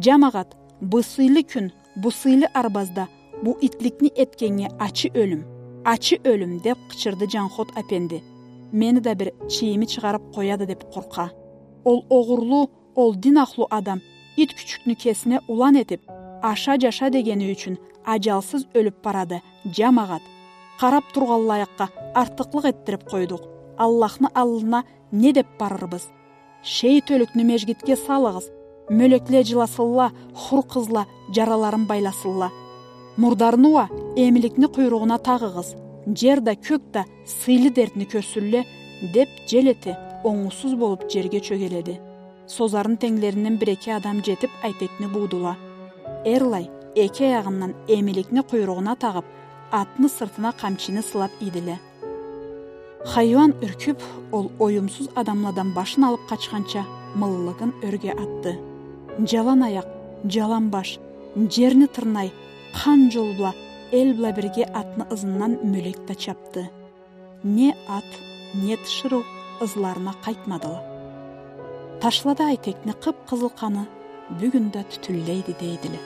«Жамагъат, бу сыйлы кюн, бу сыйлы арбазда бу итликни этгеннге ачы ёлюм, ачы ёлюм», — деп къычырды Жанхот апенди. «Мени да бир чийими чыгъарып къояды деп къоркъа. Ол огъурлу, ол дин ахлу адам ит кючюкню кесине улан этип, аша-жаша дегени ючюн ажалсыз ёлюп барады, жамагъат. Къарап тургъанлайыкъгъа артыкълыкъ этдирип къойдукъ. Аллахны аллына не деп барырбыз? Шейит ёлюкню межгитге салыгъыз, мёлекле жыласынла, хур къызла жараларын байласынла. Мурдарны уа эмликни къуйругъуна тагъыгъыз, жер да, кёк да сыйлы дертни кёрсюнле», — деп жел эте, онгусуз болуп жерге чёгеледи. Созарны тенглеринден бир-эки адам жетип, Айтекни буудула. Эрлай, эки аягъындан эмиликни къуйругъуна тагъып, атны сыртына къамчини сылап ийдиле. Хайыуан юркюп, ол оюмсуз адамладан башын алып къачханча, мыллыгын ёрге атды. Джалан аякъ, джалан баш, джерни тырнай, къан джол бла, эл бла бирге атны ызындан мёлек да чапды. Не ат, не тиширыу ызларына къайтмадыла. Ташлада айтекни къып-къызыл къаны бюгюн да тютюнлейди дейдиле.